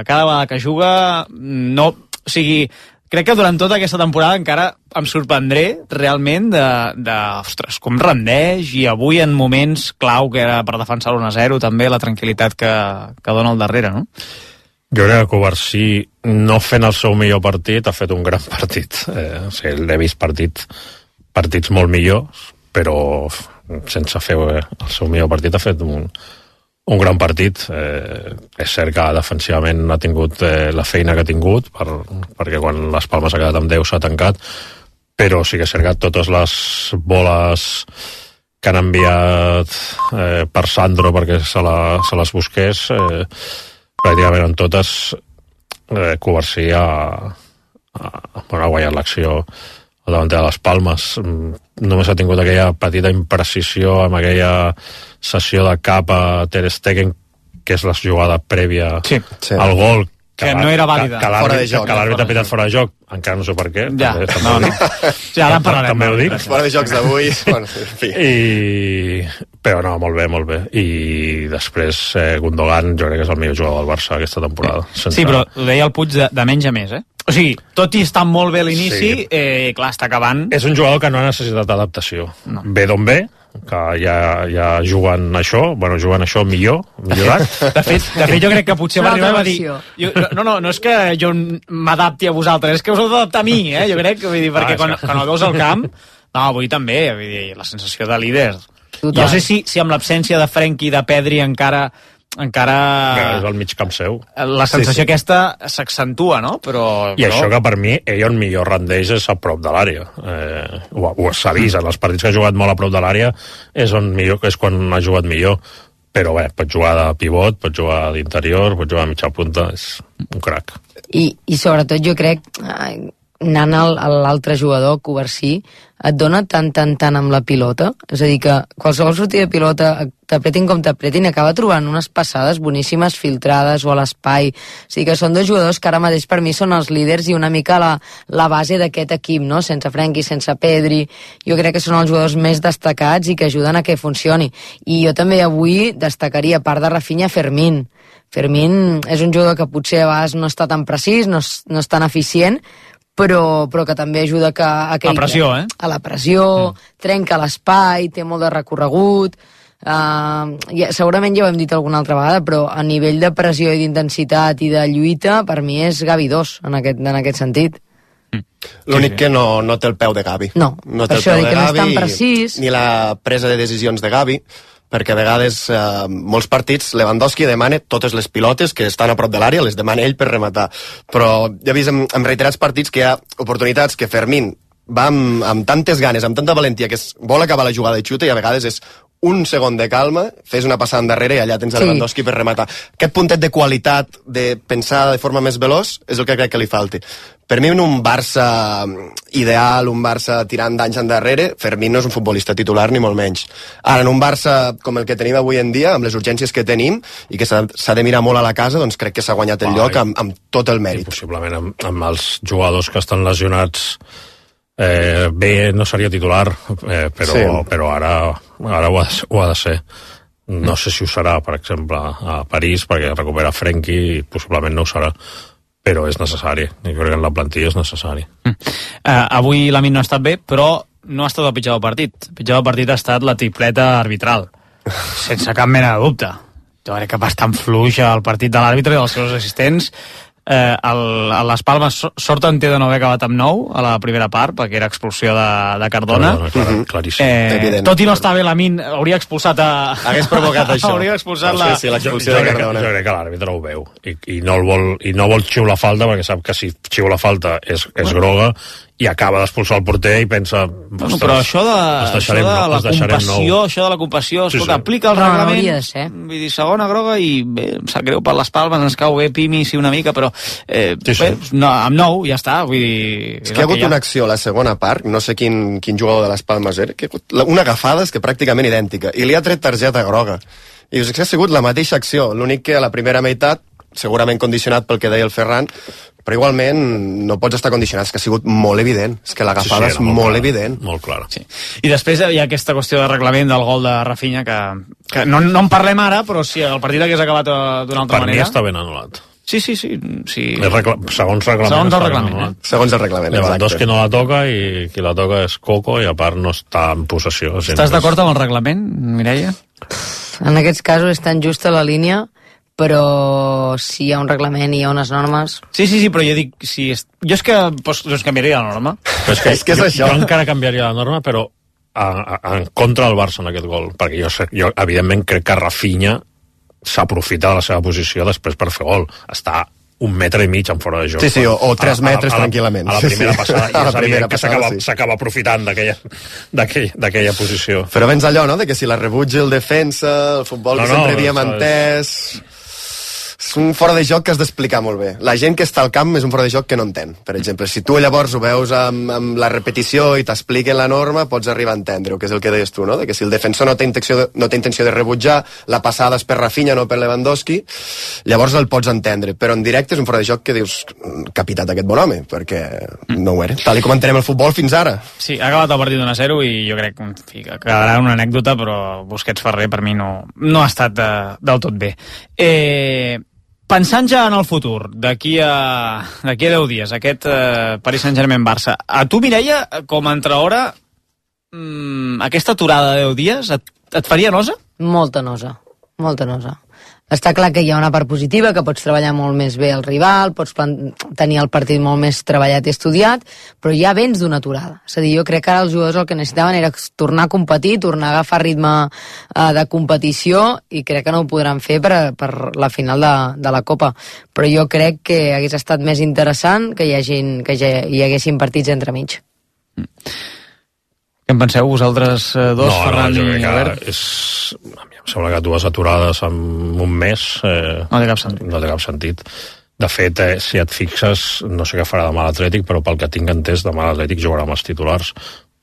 cada vegada que juga, no, o sigui, crec que durant tota aquesta temporada encara em sorprendré realment de, de ostres, com rendeix, i avui en moments clau, que era per defensar l'u a zero, també la tranquil·litat que, que dona al darrere, no? Jo crec que Covarsí, no fent el seu millor partit, ha fet un gran partit. Eh, o sigui, l'he vist partit, partits molt millors, però sense fer el seu millor partit ha fet un, un gran partit. Eh, és cert que defensivament ha tingut eh, la feina que ha tingut, per, perquè quan les Palmes ha quedat amb deu s'ha tancat, però sí que és cert que totes les boles que han enviat eh, per Sandro perquè se, la, se les busqués, eh, pràcticament en totes eh, Covarsí ha, ha, bueno, ha guanyat l'acció al davanter de les Palmes. Només ha tingut aquella petita imprecisió amb aquella sessió de cap a Ter Stegen, que és la jugada prèvia sí, sí. al gol, que, que no era vàlida, que, que l'àrbitre ha pitat fora de joc, encara no sé per què, ja, també, no, també, no. Ja, ara en parlarem, també ho dic, fora de jocs d'avui, bueno, en fi. I... però no, molt bé, molt bé, i després eh, Gundogan jo crec que és el millor jugador del Barça aquesta temporada. Sense... Sí, però ho deia el Puig de, de menys a més, eh? O sigui, tot i estar molt bé a l'inici, sí. eh, clar, està acabant... És un jugador que no ha necessitat adaptació. No. Ve d'on ve, que ja, ja juguen això, bueno, juguen això millor, millorat. De fet, de fet jo crec que potser va arribar a dir... Jo, no, no, no és que jo m'adapti a vosaltres, és que us heu d'adaptar a mi, eh? Jo crec, vull dir, perquè ah, quan, quan el veus al camp, no, avui també, vull dir, la sensació de líder. Total. No sé si, si amb l'absència de Frenkie i de Pedri encara... encara... Que és al mig camp seu. La sensació sí, sí. aquesta s'accentua, no? Però, I però... això que per mi ell on millor rendeix és a prop de l'àrea. Eh, ho ho s'ha vist, en els partits que ha jugat molt a prop de l'àrea és on millor, és quan ha jugat millor. Però bé, pot jugar de pivot, pot jugar d'interior, pot jugar a mitja punta, és un crac. I, i sobretot jo crec, anant a l'altre jugador, Covarsí, et dona tant, tant, tant amb la pilota, és a dir que qualsevol sortida de pilota, t'apretin com t'apretin, acaba trobant unes passades boníssimes filtrades o a l'espai, o sigui que són dos jugadors que ara mateix per mi són els líders i una mica la, la base d'aquest equip, no? Sense Frenkie, sense Pedri, jo crec que són els jugadors més destacats i que ajuden a que funcioni, i jo també avui destacaria, a part de Rafinha, Fermín. Fermín és un jugador que potser a vegades no està tan precís, no és, no és tan eficient, però, però que també ajuda que, a que... La pressió, eh? A la pressió, mm. trenca l'espai, té molt de recorregut... Uh, ja, segurament ja ho hem dit alguna altra vegada, però a nivell de pressió i d'intensitat i de lluita, per mi és Gavi dos, en aquest, en aquest sentit. Mm. L'únic sí, sí. que no, no té el peu de Gavi. No, no té per el això peu dic de que Gavi, no és tan precís. Ni la presa de decisions de Gavi, perquè a vegades eh, molts partits Lewandowski demana totes les pilotes que estan a prop de l'àrea, les demana ell per rematar, però ja he vist en, en reiterats partits que hi ha oportunitats que Fermín va amb, amb tantes ganes, amb tanta valentia que es vol acabar la jugada i xuta, i a vegades és un segon de calma, fes una passada endarrere i allà tens sí. Lewandowski per rematar. Aquest puntet de qualitat, de pensar de forma més veloç, és el que crec que li falti. Per mi, en un Barça ideal, un Barça tirant d'anys endarrere, Fermín no és un futbolista titular, ni molt menys. Ara, en un Barça com el que tenim avui en dia, amb les urgències que tenim, i que s'ha de mirar molt a la casa, doncs crec que s'ha guanyat el lloc amb, amb tot el mèrit. I possiblement amb, amb els jugadors que estan lesionats eh, bé no seria titular, eh, però, sí. però ara, ara ho, ha, ho ha de ser. No sé si ho serà, per exemple, a París, perquè recupera Frenkie, i possiblement no ho serà, però és necessari. Jo crec que en la plantilla és necessari. Mm. Uh, avui l'Amin no ha estat bé, però no ha estat el pitjor del partit. El pitjor del partit ha estat la tripleta arbitral, sense cap mena de dubte. Jo crec que bastant fluix el partit de l'àrbitre i dels seus assistents. Eh, el, a les Palmes sort en té de no haver acabat amb nou a la primera part, perquè era expulsió de, de Cardona. Cardona clar, uh-huh. Claríssim. Eh, tot i no estar bé l'Amin, hauria expulsat a... Hagués provocat això. Hauria expulsat no, la... Sí, sí, l'expulsió jo, de jo Cardona. Crec, jo crec que l'àrbitre ho veu i, i, no el vol, i no vol xiular falta, perquè sap que si xiula falta és, és groga, i acaba d'expulsar el porter i pensa... Bueno, però això de, això de la compassió, això de la compassió, escolta, sí, sí. aplica el reglament, no, vull dir, segona groga, i bé, em sap greu per les Palmes, ens cau bé Pimi, sí, una mica, però eh, sí, sí. Bé, no, amb nou ja està, vull dir... És que hi ha hagut una acció a la segona part, no sé quin, quin jugador de les Palmes era, que ha hagut una agafada és que pràcticament idèntica, i li ha tret targeta groga. I us ha sigut la mateixa acció, l'únic que a la primera meitat segurament condicionat pel que deia el Ferran, però igualment no pots estar condicionat, és que ha sigut molt evident, és que l'agafada sí, sí, és molt, molt clara, evident. Molt clara. Sí. I després hi ha aquesta qüestió de reglament del gol de Rafinha, que, que no, no en parlem ara, però si el partit hagués acabat d'una altra per manera... Per mi està ben anul·lat. Sí, sí, sí. sí. Regla... Segons reglament. Segons el reglament, eh? Segons el reglament, Lewandowski no la toca i qui la toca és Coco i a part no està en possessió. Estàs d'acord amb el reglament, Mireia? En aquests casos és tan justa la línia, però si hi ha un reglament i hi ha unes normes... Sí, sí, sí, però jo dic... Si és... Jo és que pues, doncs canviaria la norma. Però és que, és que és jo, això. Jo encara canviaria la norma, però a, a, en contra del Barça en aquest gol, perquè jo, jo evidentment crec que Rafinha s'aprofita de la seva posició després per fer gol. Està un metre i mig en fora de joc. Sí, sí, o, o tres metres a, a, a tranquil·lament. A la primera sí, passada, sí. i és evident que s'acaba sí. s'acaba aprofitant d'aquella posició. Però vens allò, no?, de que si la rebutja el defensa, el futbol no, que sempre no, havíem entès... És un fora de joc que has d'explicar molt bé. La gent que està al camp és un fora de joc que no entén. Per exemple, si tu llavors ho veus amb, amb la repetició i t'expliquen la norma, pots arribar a entendre-ho, que és el que deies tu, no? De que si el defensor no té intenció de, no té intenció de rebutjar, la passada és per Rafinha, no per Lewandowski, llavors el pots entendre. Però en directe és un fora de joc que dius, capitat aquest bon home, perquè no ho era. Tal i com entenem el futbol fins ara. Sí, ha acabat el partit un a zero i jo crec en fi, que quedarà una anècdota, però Busquets Ferrer per mi no, no ha estat de, del tot bé. Eh... Pensant ja en el futur, d'aquí a, d'aquí a deu dies, aquest eh, Paris Saint-Germain-Barça, a tu, Mireia, com a entrehora, mmm, aquesta aturada de deu dies et, et faria nosa? Molta nosa, molta nosa. Està clar que hi ha una part positiva, que pots treballar molt més bé el rival, pots tenir el partit molt més treballat i estudiat, però ja vens d'una aturada. És a dir, jo crec que ara els jugadors el que necessitaven era tornar a competir, tornar a agafar ritme eh, de competició, i crec que no ho podran fer per, per la final de, de la Copa. Però jo crec que hagués estat més interessant que hi, hagin, que hi haguessin partits entremig. Mm. Què en penseu vosaltres dos, no, Ferran no, i Albert? És... Em sembla que dues aturades en un mes eh, no té cap sentit. No té cap sentit. De fet, eh, si et fixes, no sé què farà demà l'Atlètic, però pel que tinc entès, demà l'Atlètic jugarà amb els titulars,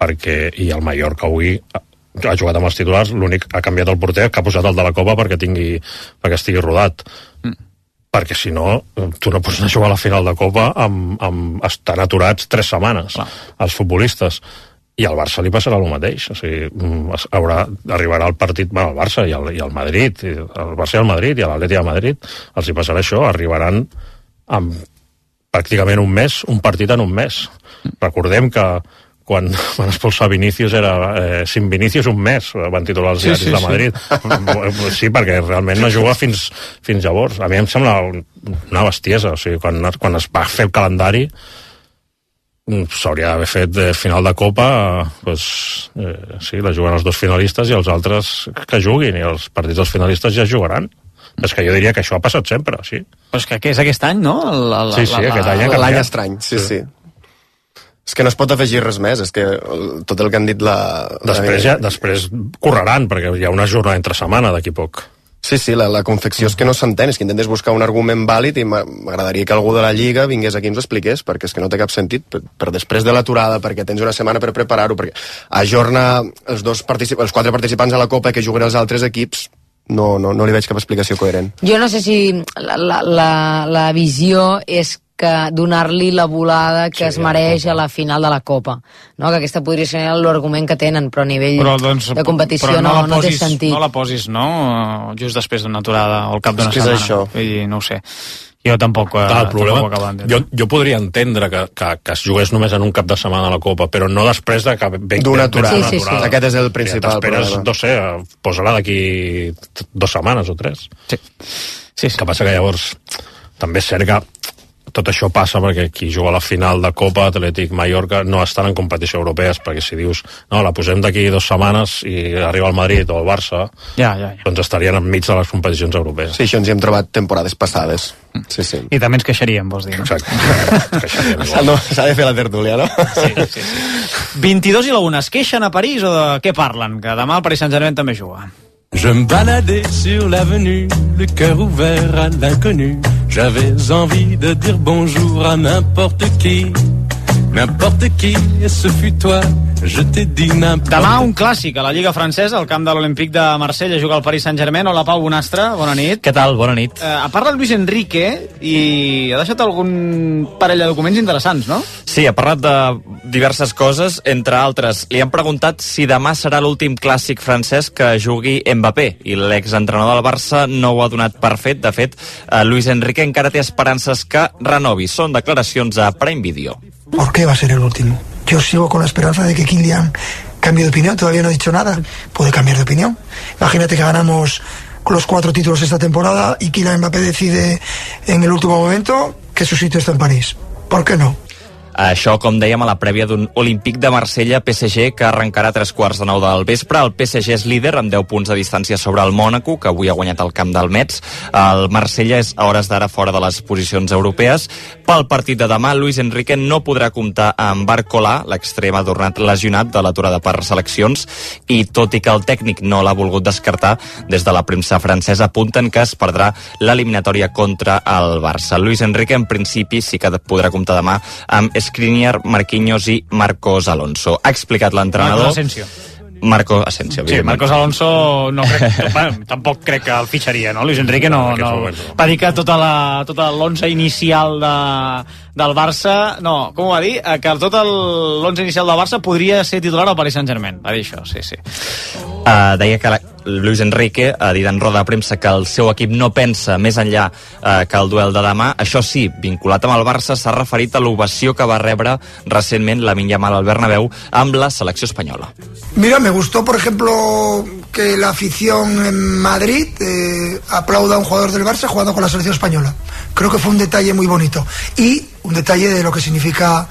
perquè, i el Mallorca avui ha jugat amb els titulars, l'únic ha canviat el porter, que ha posat el de la Copa perquè, tingui, perquè estigui rodat. Mm. Perquè si no, tu no pots anar a jugar a la final de Copa amb, amb estan aturats tres setmanes, clar, els futbolistes. I al Barça li passarà el mateix, o sigui, haurà, arribarà el partit, bueno, el Barça i el, i el Madrid, el Barça i el Madrid i l'Atlètic de Madrid, els hi passarà això, arribaran amb pràcticament un mes, un partit en un mes. Recordem que quan van expulsar Vinícius era eh, sin Vinícius un mes, van titular els diaris sí, sí, de Madrid. Sí. Sí, perquè realment no juga fins, fins llavors. A mi em sembla una bestiesa, o sigui, quan, quan es va fer el calendari s'hauria d'haver fet eh, final de Copa, pues, eh, sí, la juguen els dos finalistes i els altres que juguin, i els partits dels finalistes ja jugaran. És que jo diria que això ha passat sempre, sí. Però és que, que és aquest any, no? El, el, sí, sí, la, aquest any ha canviat. L'any estrany, sí, sí, sí. És que no es pot afegir res més, és que tot el que han dit la... Després, ja, després correran, perquè hi ha una jornada entre setmana d'aquí poc. Sí, sí, la, la confecció és que no s'entén, és que intentes buscar un argument vàlid i m'agradaria que algú de la Lliga vingués aquí i ens ho expliqués, perquè és que no té cap sentit, per, per després de l'aturada, perquè tens una setmana per preparar-ho, perquè ajorna els, dos particip els quatre participants a la Copa que juguen els altres equips, no, no, no li veig cap explicació coherent. Jo no sé si la, la, la, la visió és que donar-li la volada que sí, es mereix a la final de la Copa, no? Que aquesta podria ser l'argument que tenen, però a nivell però, doncs, de competició no, no, no té sentit. No la posis, no? Just després d'una aturada o al cap d'una setmana. Això. I no ho sé. Jo tampoc, Clar, el problema, tampoc acabo jo, jo podria entendre que, que, que es jugués només en un cap de setmana a la Copa, però no després de que d'una aturada. Sí, sí, sí. Aquest és el principal problema. No sé, posa-la d'aquí dues setmanes o tres. Sí. Sí, sí. Que passa que llavors també és cert que tot això passa perquè qui juga a la final de Copa, Atlètic, Mallorca, no estan en competició europees, perquè si dius, no, la posem d'aquí dues setmanes i arriba el Madrid o el Barça, ja, ja, ja. doncs estarien enmig de les competicions europees. Sí, això ens hi hem trobat temporades passades. Sí, sí. I també ens queixaríem, vols dir, no? Exacte. S'ha de fer la tertúlia, no? Sí, sí, sí. vint-i-dos i la una, es queixen a París o de què parlen? Que demà el Paris Saint-Germain també juga. Je me baladais sur l'avenue, le cœur ouvert à l'inconnu. J'avais envie de dire bonjour à n'importe qui. N'importe qui, et ce fut toi, je t'ai dit n'importe... Demà un clàssic a la Lliga Francesa, al camp de l'Olympique de Marsella, juga el Paris Saint-Germain. Hola, Pau Bonastre, bona nit. Què tal? Bona nit. Eh, ha parlat Luis Enrique i ha deixat algun parell de documents interessants, no? Sí, ha parlat de diverses coses, entre altres. Li han preguntat si demà serà l'últim clàssic francès que jugui Mbappé, i l'exentrenador del Barça no ho ha donat per fet. De fet, eh, Luis Enrique encara té esperances que renovi. Són declaracions a Prime Video. ¿Por qué va a ser el último? Yo sigo con la esperanza de que Kylian cambie de opinión. Todavía no ha dicho nada. Puede cambiar de opinión. Imagínate que ganamos los cuatro títulos esta temporada y Kylian Mbappé decide en el último momento que su sitio está en París. ¿Por qué no? Això, com dèiem, a la prèvia d'un Olímpic de Marsella-P S G que arrencarà a tres quarts de nou del vespre. El P S G és líder amb deu punts de distància sobre el Mònaco, que avui ha guanyat el camp del Metz. El Marsella és a hores d'ara fora de les posicions europees. Pel partit de demà, Luis Enrique no podrà comptar amb Barcola, l'extrem ha tornat lesionat de l'aturada per seleccions, i tot i que el tècnic no l'ha volgut descartar, des de la premsa francesa apunten que es perdrà l'eliminatòria contra el Barça. Luis Enrique, en principi, sí que podrà comptar demà amb Skriniar, Marquinhos i Marcos Alonso. Ha explicat l'entrenador... Marcos Asensio. Marco Asensio, sí, Marcos Alonso no crec, bueno, tampoc crec que el fitxaria, no? Luis Enrique no, no, va dir que tota la, tota l'onze inicial de, del Barça, no, com ho va dir? Que tot l'onze inicial del Barça podria ser titular al Paris Saint-Germain, va dir això, sí, sí. Uh, deia que la, Luis Enrique ha dit en roda de premsa que el seu equip no pensa més enllà uh, que el duel de demà. Això sí, vinculat amb el Barça, s'ha referit a l'ovació que va rebre recentment Lamine Yamal al Bernabéu amb la selecció espanyola. Mira, me gustó, por ejemplo, que la afición en Madrid eh, aplauda a un jugador del Barça jugando con la selección española. Creo que fue un detalle muy bonito. Y un detalle de lo que significa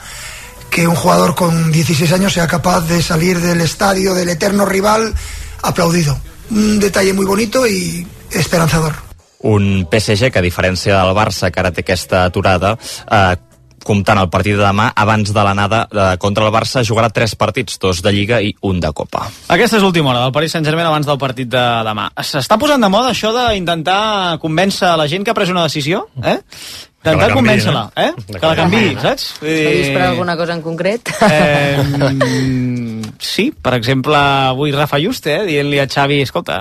que un jugador con dieciséis años sea capaz de salir del estadio del eterno rival aplaudido. Un detalle muy bonito y esperanzador. Un P S G que, a diferència del Barça, que ara té aquesta aturada, eh, comptant el partit de demà, abans de l'anada eh, contra el Barça, jugarà tres partits, dos de Lliga i un de Copa. Aquesta és l'última hora del Paris Saint-Germain abans del partit de demà. S'està posant de moda això d'intentar convèncer la gent que ha pres una decisió, eh? Intentar convèncer-la, eh? Que la canviï, saps? S'ha per alguna cosa en concret? Eh, sí, per exemple, avui Rafa Juste, eh, dient-li a Xavi, escolta,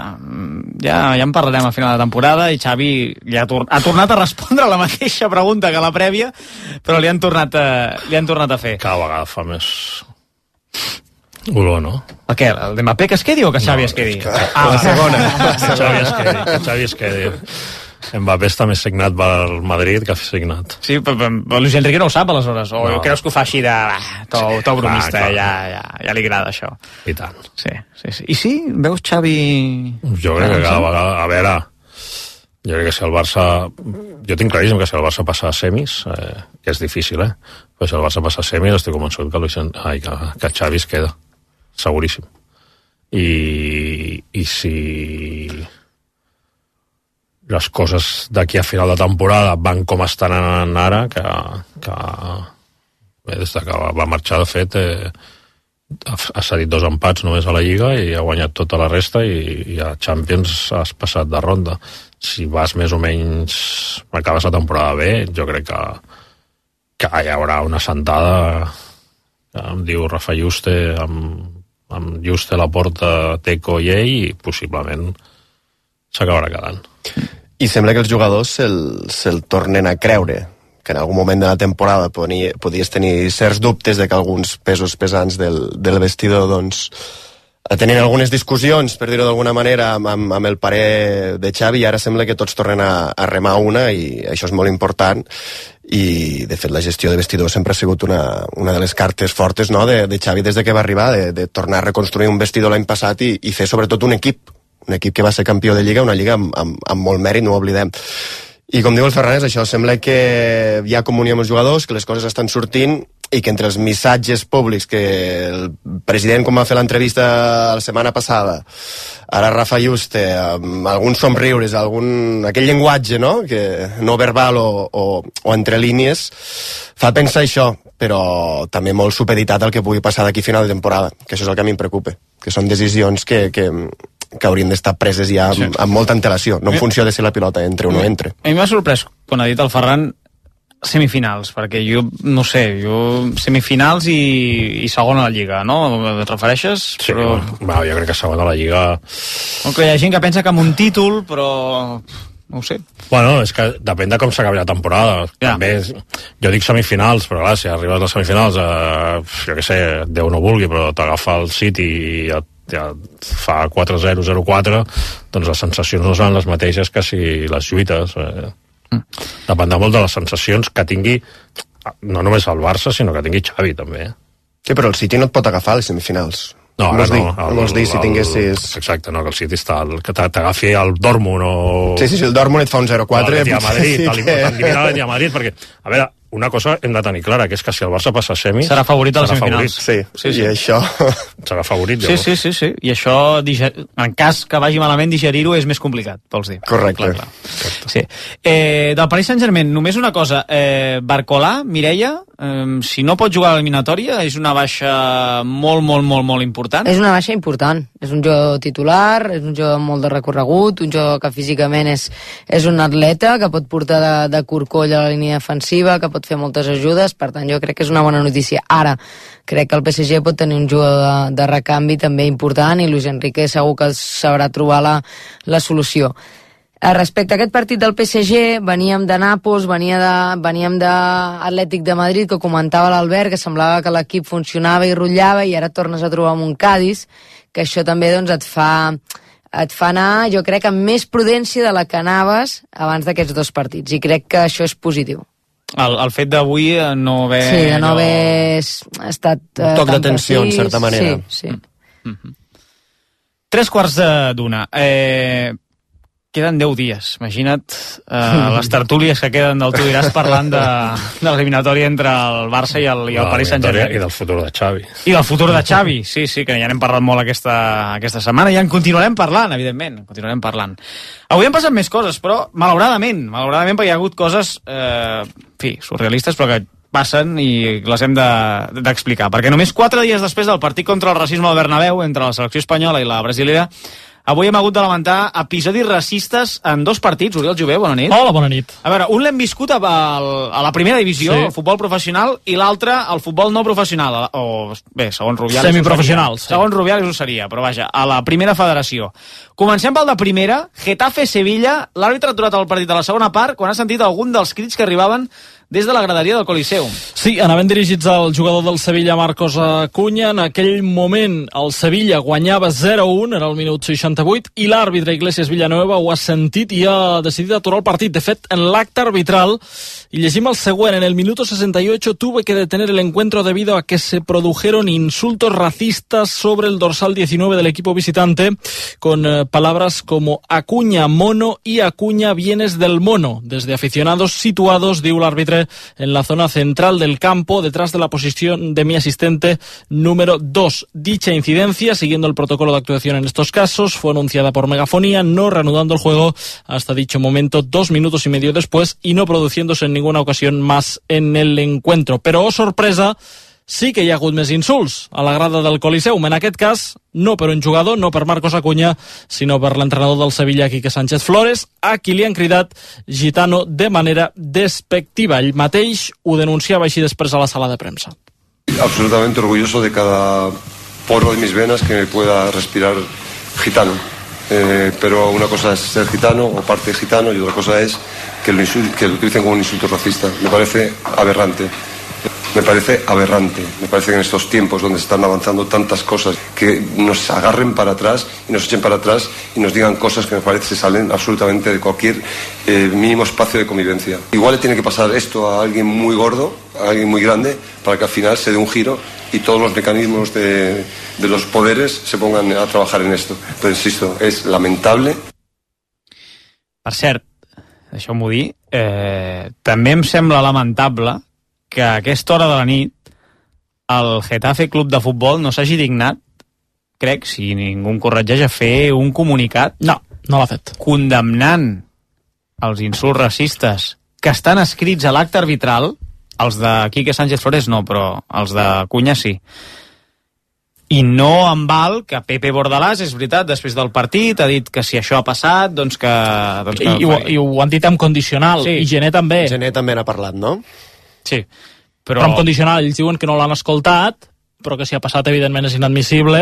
ja, ja en parlarem a final de temporada, i Xavi li ha, tor ha tornat a respondre la mateixa pregunta que la prèvia, però li han tornat a, li han tornat a fer. Cada vegada fa més olor, no? El què? El de Mbappé que es quedi o que Xavi no, es quedi? Que... Ah, la segona. Que Xavi es quedi, que Xavi es quedi. Mbappé està més signat pel Madrid que ha signat. Sí, però, però Luis Enrique no ho sap, aleshores. O no. Creus que ho fa així de... Ah, to, to bromista, ah, ja, ja, ja li agrada això. I tant. Sí, sí, sí. I sí? Veus Xavi... Jo crec que cada vegada... A veure, jo crec que si el Barça... Jo tinc claríssim que si el Barça passa a semis, eh, que és difícil, eh? Però si el Barça passa a semis, estic convençut que, Luis... Ai, que, que Xavi es queda. Seguríssim. I, i si... les coses d'aquí a final de temporada van com estan ara, que, que bé, des que va marxar, de fet, eh, ha, ha cedit dos empats només a la Lliga i ha guanyat tota la resta, i, i a Champions has passat de ronda. Si vas més o menys, acabes la temporada bé, jo crec que, que hi haurà una sentada, que em diu Rafa Juste, amb, amb Juste, Laporta, Teco i ell, i possiblement s'acabarà quedant. I sembla que els jugadors se'l se tornen a creure, que en algun moment de la temporada podia, podies tenir certs dubtes de que alguns pesos pesants del, del vestidor doncs, tenien algunes discussions, per dir-ho d'alguna manera, amb, amb el parer de Xavi, i ara sembla que tots tornen a, a remar una, i això és molt important. I de fet la gestió de vestidor sempre ha sigut una, una de les cartes fortes, no?, de, de Xavi des de que va arribar, de, de tornar a reconstruir un vestidor l'any passat i, i fer sobretot un equip un equip que va ser campió de Lliga, una Lliga amb, amb, amb molt mèrit, no ho oblidem. I com diu el Fernández, això sembla que hi ha comunió amb els jugadors, que les coses estan sortint, i que entre els missatges públics que el president, com va fer l'entrevista la setmana passada, ara Rafa Juste, amb alguns somriures, algun, aquell llenguatge, no?, que no verbal o, o, o entre línies, fa pensar això, però també molt supeditat al que pugui passar d'aquí a final de temporada, que això és el que a mi em preocupa, que són decisions que, que, que haurien d'estar preses ja amb, amb molta antelació, no en funció de si la pilota entre o no entre. A mi m'ha sorprès, quan ha dit el Ferran, semifinals, perquè jo, no sé, jo semifinals i, i segona a la Lliga, no? Et refereixes? Sí, però... va, jo crec que segona a la Lliga... Okay, hi ha gent que pensa que amb un títol, però... no ho sé. Bueno, és que depèn de com s'acabi la temporada. Ja. També, jo dic semifinals, però clar, si arribes a les semifinals, eh, jo què sé, Déu no vulgui, però t'agafa el City i ja, ja fa quatre zero, zero quatre, doncs les sensacions no seran les mateixes que si les lluites. Eh. Mm. Dependrà molt de les sensacions que tingui, no només el Barça, sinó que tingui Xavi, també. Sí, però el City no et pot agafar a les semifinals. No, no, no, no, no vols dir si tinguessis... Exacte, no, que el City està... El, que t'agafi el Dortmund o... Sí, sí, sí, el Dortmund et fa un zero quatre... L'Atleti a Madrid, sí, t'elimina l'Atleti a Madrid, perquè, a veure, una cosa hem de tenir clara, que és que si el Barça passa a semis... Serà favorit a les semifinals. Sí, sí, sí, i això... Serà favorit, sí, sí, sí, sí, i això, en cas que vagi malament, digerir-ho és més complicat, vols dir. Correcte. Clar, clar. Sí. Eh, del Paris Saint-Germain, només una cosa, eh, Barcolà, Mireia, eh, si no pot jugar a l'eliminatòria, és una baixa molt, molt, molt, molt important? És una baixa important. És un jugador titular, és un jugador amb molt de recorregut, un jugador que físicament és, és un atleta, que pot portar de, de corcoll a la línia defensiva, que pot fer moltes ajudes, per tant jo crec que és una bona notícia. Ara, crec que el P S G pot tenir un jugador de, de recanvi també important i Luis Enrique segur que sabrà trobar la, la solució. Respecte a aquest partit del P S G, veníem de Nàpols, venia de, veníem d'Atlètic de Madrid, que comentava l'Albert, que semblava que l'equip funcionava i rotllava, i ara tornes a trobar amb un Cádiz, que això també doncs, et fa et fa anar, jo crec, amb més prudència de la que anaves abans d'aquests dos partits, i crec que això és positiu. El, el fet d'avui no haver... Sí, de no haver estat... Un toc d'atenció, en certa manera. Sí, sí. Mm-hmm. Tres quarts d'una. Eh, queden deu dies. Imagina't eh, les tertúlies que queden del Tu diràs parlant de, de l'eliminatòria entre el Barça i el, i el Paris Saint-Germain. I del futur de Xavi. I del futur de Xavi, sí, sí, que ja n'hem parlat molt aquesta, aquesta setmana i en continuarem parlant, evidentment, continuarem parlant. Avui han passat més coses, però malauradament, malauradament perquè hi ha hagut coses, eh, en fi, surrealistes, però que passen i les hem d'explicar, de, perquè només quatre dies després del partit contra el racisme al Bernabéu entre la selecció espanyola i la brasilera, avui hem hagut de lamentar episodis racistes en dos partits. Oriol Jové, bona nit. Hola, bona nit. A veure, un l'hem viscut a, a la primera divisió, sí. El futbol professional, i l'altre al futbol no professional, o bé, segons Rubiales... Semiprofessionals. Sí. Segons Rubiales ho seria, però vaja, a la primera federació. Comencem pel de primera, Getafe-Sevilla. L'àrbitre ha aturat el partit a la segona part quan ha sentit algun dels crits que arribaven des de la graderia del Coliseum. Sí, anaven dirigits al jugador del Sevilla, Marcos Acuña. En aquell moment el Sevilla guanyava zero a un, era el minut seixanta-vuit, i l'àrbitre Iglesias Villanueva ho ha sentit i ha decidit aturar el partit. De fet, en l'acte arbitral, y llegim el següent, en el minuto sesenta y ocho tuve que detener el encuentro debido a que se produjeron insultos racistas sobre el dorsal diecinueve del equipo visitante, con eh, palabras como Acuña mono y Acuña vienes del mono, desde aficionados situados, diu l'àrbitre, en la zona central del campo, detrás de la posición de mi asistente número dos. Dicha incidencia, siguiendo el protocolo de actuación en estos casos, fue anunciada por megafonía, no reanudando el juego hasta dicho momento dos minutos y medio después y no produciéndose en ninguna ocasión más en el encuentro. Pero, oh sorpresa, sí que hi ha hagut més insults a la grada del Coliseum. En aquest cas, no per un jugador, no per Marcos Acuña, sinó per l'entrenador del Sevilla, Quique Sánchez Flores, a qui li han cridat gitano de manera despectiva. Ell mateix ho denunciava així després a la sala de premsa. Absolutamente orgulloso de cada poro de mis venas que me pueda respirar gitano. Eh, pero una cosa es ser gitano o parte gitano y otra cosa es que lo, que lo utilicen como un insulto racista. Me parece aberrante. Me parece aberrante, me parece que en estos tiempos donde están avanzando tantas cosas, que nos agarren para atrás y nos echen para atrás y nos digan cosas que me parece que salen absolutamente de cualquier eh, mínimo espacio de convivencia. Igual le tiene que pasar esto a alguien muy gordo, a alguien muy grande, para que al final se dé un giro y todos los mecanismos de, de los poderes se pongan a trabajar en esto. Pero insisto, es lamentable. Per cert, deixeu-m'ho dir, eh, també em sembla lamentable que a aquesta hora de la nit el Getafe Club de Futbol no s'hagi dignat, crec, si ningú em corregeix, a fer un comunicat. No, no l'ha fet. Condemnant els insults racistes que estan escrits a l'acte arbitral, els de Quique Sánchez Flores no, però els de Cunha sí. I no em val que Pepe Bordalàs, és veritat, després del partit ha dit que si això ha passat, doncs que... Doncs que I, i, ho, I ho han dit amb condicional, sí. I Gené també. Gené també n'ha parlat, no? Sí. Però... però amb condicional, ells diuen que no l'han escoltat, però que si ha passat evidentment és inadmissible,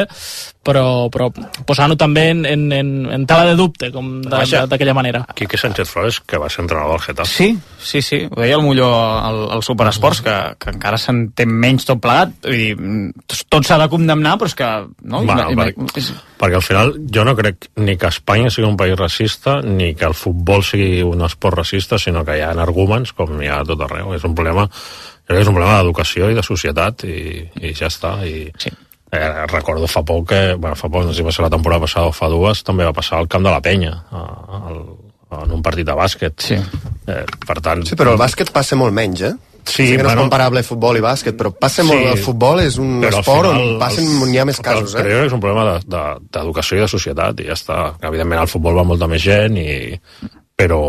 però, però posant-ho també en, en, en, en tela de dubte, com d'aquella manera. Quique Sánchez Flores, que va ser entrenador del Getafe. Sí, sí, sí, ho deia el Molló al, al Superesports, que, que encara s'entén menys tot plegat, vull dir, tot s'ha de condemnar, però és que... No? Bueno, I, perquè, i, és... perquè al final jo no crec ni que Espanya sigui un país racista, ni que el futbol sigui un esport racista, sinó que hi ha arguments, com hi ha a tot arreu. És un problema... és un problema d'educació i de societat i, i ja està i sí. eh, recordo fa poc que, bueno, fa poc, no sé si va ser la temporada passada o fa dues, també va passar al camp de la Penya a, a, en un partit de bàsquet sí. eh, per tant... Sí, però el bàsquet passa molt menys, eh? Sí, sí que no bueno, és comparable futbol i bàsquet, però passa molt, sí, el futbol és un esport final, on passen, els, on hi ha més casos, eh? Però és un problema d'educació de, de, i de societat i ja està, evidentment al futbol va molta més gent i... però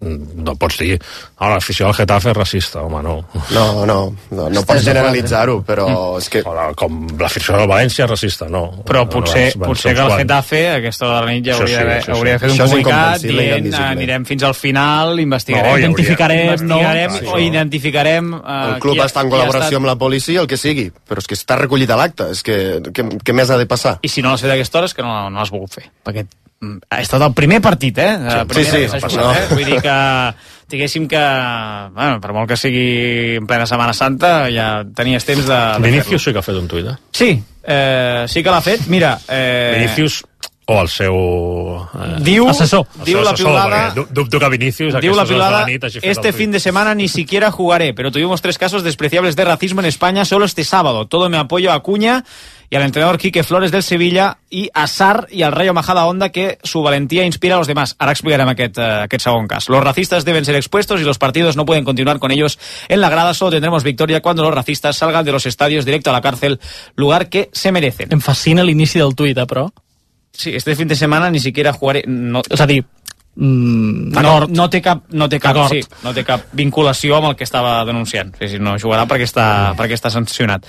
no pots dir, no, l'afició al Getafe és racista, home, no. No, no, no, no pots generalitzar-ho, però mm. és que... O com l'afició del València és racista, no. Però potser, no, potser que el Getafe, a aquesta hora de la nit, ja hauria, sí, sí, hauria de fer un comunicat dient, anirem fins al final, investigarem, no, identificarem, investigarem no, o identificarem... Uh, el club està en col·laboració estat... amb la policia, el que sigui, però és que està recollit a l'acte, és que què més ha de passar? I si no l'has fet a aquesta hora és que no, no l'has volgut fer, perquè ha estat el primer partit, eh? Sí, primer, sí, sí, jugat, no. eh? Vull dir que, diguéssim que, bueno, per molt que sigui en plena Setmana Santa, ja tenies temps de, de Vinicius sí que ha fet un tuit, eh? Sí, eh, sí que l'ha fet. Mira... Eh... Vinicius o el seu eh, diu, assessor. Diu el seu la piulada... Dubto que Vinicius... Diu la piulada, este fin de semana ni siquiera jugaré, pero tuvimos tres casos despreciables de racismo en España solo este sábado. Todo mi apoyo a Acuña y al entrenador Quique Flores del Sevilla y a Sarr y al Rayo Majadahonda, que su valentía inspira a los demás. Ara explicarem aquest, uh, aquest segon cas. Los racistas deben ser expuestos y los partidos no pueden continuar con ellos en la grada. Solo tendremos victoria cuando los racistas salgan de los estadios directo a la cárcel, lugar que se merecen. Em fascina l'inici del tuit, eh, però... Sí, este fin de semana ni siquiera jugaré... No, és a dir, mm, no, no, té cap, no, té cap, sí, no té cap vinculació amb el que estava denunciant. Sí, sí, no jugarà perquè està, perquè està sancionat.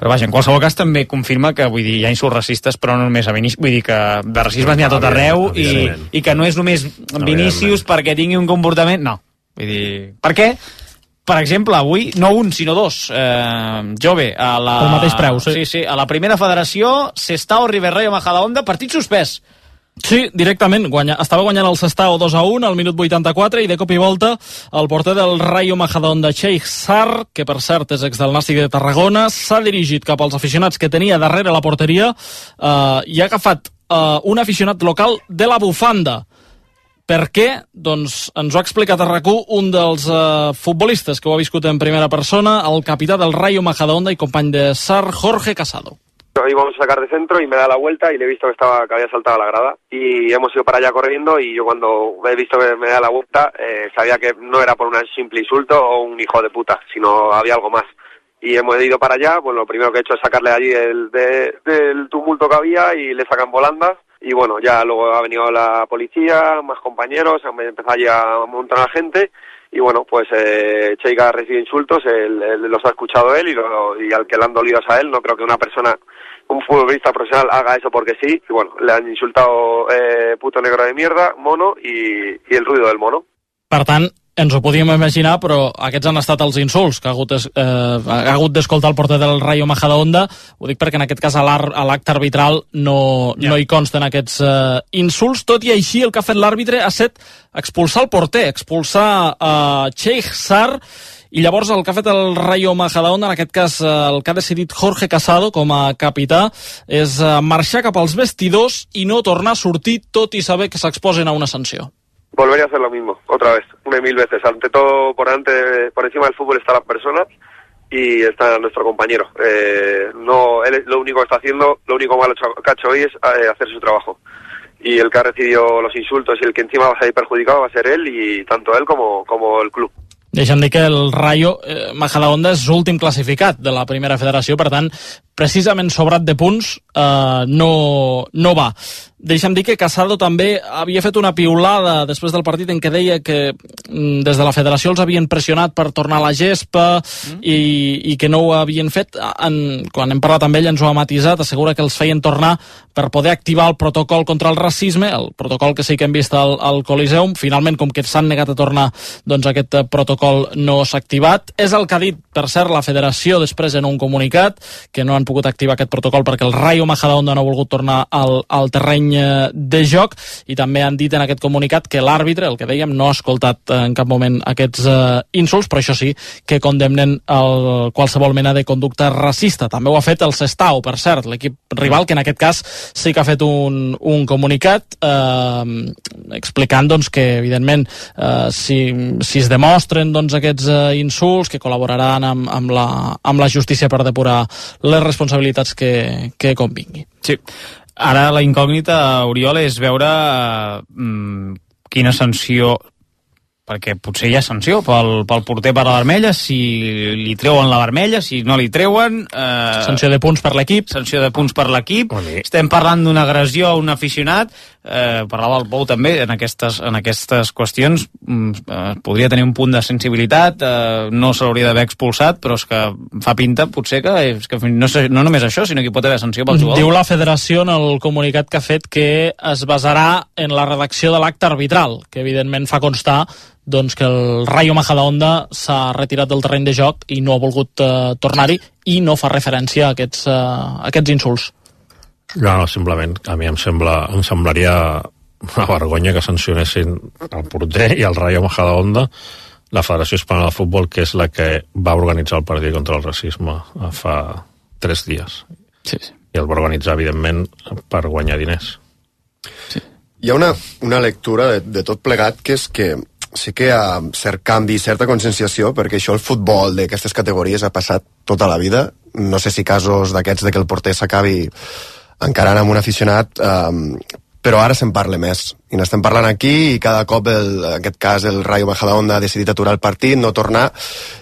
Però vaja, en qualsevol cas també confirma que, vull dir, hi ha insults racistes, però no només a Vinícius, vull dir que de racisme n'hi ha tot arreu i, i que no és només Vinícius perquè tingui un comportament... No, vull dir... Per què? Per exemple, avui, no un, sinó dos. Eh, Jove, a la... El mateix preu, sí. Sí, sí, a la primera federació, Sestao River Rayo Majadahonda, partit suspès. Sí, directament. Guanya, estava guanyant el Sestao dos a un al minut vuitanta-quatre i de cop i volta el porter del Rayo Majadahonda, Cheikh Sarr, que per cert és ex del Nàstic de Tarragona, s'ha dirigit cap als aficionats que tenia darrere la porteria eh, i ha agafat eh, un aficionat local de la bufanda. Per què? Doncs ens ho ha explicat a RAC u un dels uh, futbolistes que ho ha viscut en primera persona, el capità del Rayo Majadahonda y company de Sarr, Jorge Casado. Íbamos a sacar de centro y me da la vuelta y le he visto que estaba que había saltado a la grada y hemos ido para allá corriendo y yo cuando he visto que me da la vuelta eh, sabía que no era por un simple insulto o un hijo de puta, sino había algo más. Y hemos ido para allá, pues lo primero que he hecho es sacarle allí el, de, del tumulto que había y le sacan volandas. Y bueno, ya luego ha venido la policía, más compañeros, han empezado allí a montar a la gente y bueno, pues eh, Cheikh ha recibido insultos, él, él los ha escuchado él y, lo, y al que le han dolido es a él. No creo que una persona, un futbolista profesional haga eso porque sí. Y bueno, le han insultado eh, puto negro de mierda, mono y, y el ruido del mono. Per tant, ens ho podíem imaginar, però aquests han estat els insults que ha hagut, eh, ha hagut d'escoltar el porter del Rayo Majadahonda. Ho dic perquè en aquest cas a l'acte arbitral no, ja. no hi consten aquests eh, insults. Tot i així, el que ha fet l'àrbitre ha estat expulsar el porter, expulsar eh, Cheikh Sarr, i llavors el que ha fet el Rayo Majadahonda, en aquest cas el que ha decidit Jorge Casado com a capità, és marxar cap als vestidors i no tornar a sortir, tot i saber que s'exposen a una sanció. Volvería a hacer lo mismo, otra vez, una y mil veces. Ante todo, por ante, por encima del fútbol están las personas y está nuestro compañero. Eh, no, él lo único que está haciendo, lo único malo que ha hecho hoy es eh, hacer su trabajo. Y el que ha recibido los insultos y el que encima va a salir perjudicado va a ser él y tanto él como, como el club. Deixa'm dir que el Rayo eh, Majadahonda és l'últim classificat de la primera federació, per tant, precisament sobrat de punts, eh, no, no va. Deixa'm dir que Casado també havia fet una piulada després del partit en què deia que des de la federació els havien pressionat per tornar a la gespa mm. i, i que no ho havien fet. En, quan hem parlat amb ell ens ho ha matisat, assegura que els feien tornar per poder activar el protocol contra el racisme, el protocol que sí que hem vist al, al Coliseum. Finalment, com que s'han negat a tornar, doncs aquest protocol no s'ha activat. És el que ha dit, per cert, la federació després en un comunicat, que no han pogut activar aquest protocol perquè el Rayo Majadahonda no ha volgut tornar al, al terreny de joc, i també han dit en aquest comunicat que l'àrbitre, el que dèiem, no ha escoltat en cap moment aquests uh, insults, però això sí que condemnen el, qualsevol mena de conducta racista. També ho ha fet el Sestao, per cert, l'equip rival, que en aquest cas sí que ha fet un, un comunicat eh, explicant doncs, que evidentment eh, si, si es demostren doncs, aquests uh, insults, que col·laboraran amb, amb, la, amb la justícia per depurar les responsabilitats que, que convingui. Sí. Ara la incògnita, Oriol, és veure eh, quina sanció, perquè potser hi ha sanció pel, pel porter per la vermella, si li treuen la vermella, si no li treuen... Eh, sanció de punts per l'equip. Sanció de punts per l'equip. Estem parlant d'una agressió a un aficionat. Eh, parlava el Pou també en aquestes, en aquestes qüestions. Eh, podria tenir un punt de sensibilitat, eh, no se l'hauria d'haver expulsat, però és que fa pinta potser que, és que no, no només això, sinó que hi pot haver sanció pel jugador. Diu la federació en el comunicat que ha fet que es basarà en la redacció de l'acte arbitral, que evidentment fa constar doncs que el Rayo Majadahonda s'ha retirat del terreny de joc i no ha volgut uh, tornar-hi, i no fa referència a aquests, uh, a aquests insults. No, no, simplement a mi em sembla em semblaria una vergonya que sancionessin el porter i el Rayo Majadahonda, la Federació Espanyola de Futbol, que és la que va organitzar el partit contra el racisme fa tres dies. Sí, sí. I el va organitzar, evidentment, per guanyar diners. Sí. Hi ha una, una lectura de, de tot plegat, que és que sí que hi ha cert canvi, certa conscienciació, perquè això el futbol d'aquestes categories ha passat tota la vida. No sé si casos d'aquests de que el porter s'acabi encarant amb un aficionat, eh, però ara se'n parla més. I n'estem parlant aquí, i cada cop, el, en aquest cas, el Rayo Majadahonda ha decidit aturar el partit, no tornar,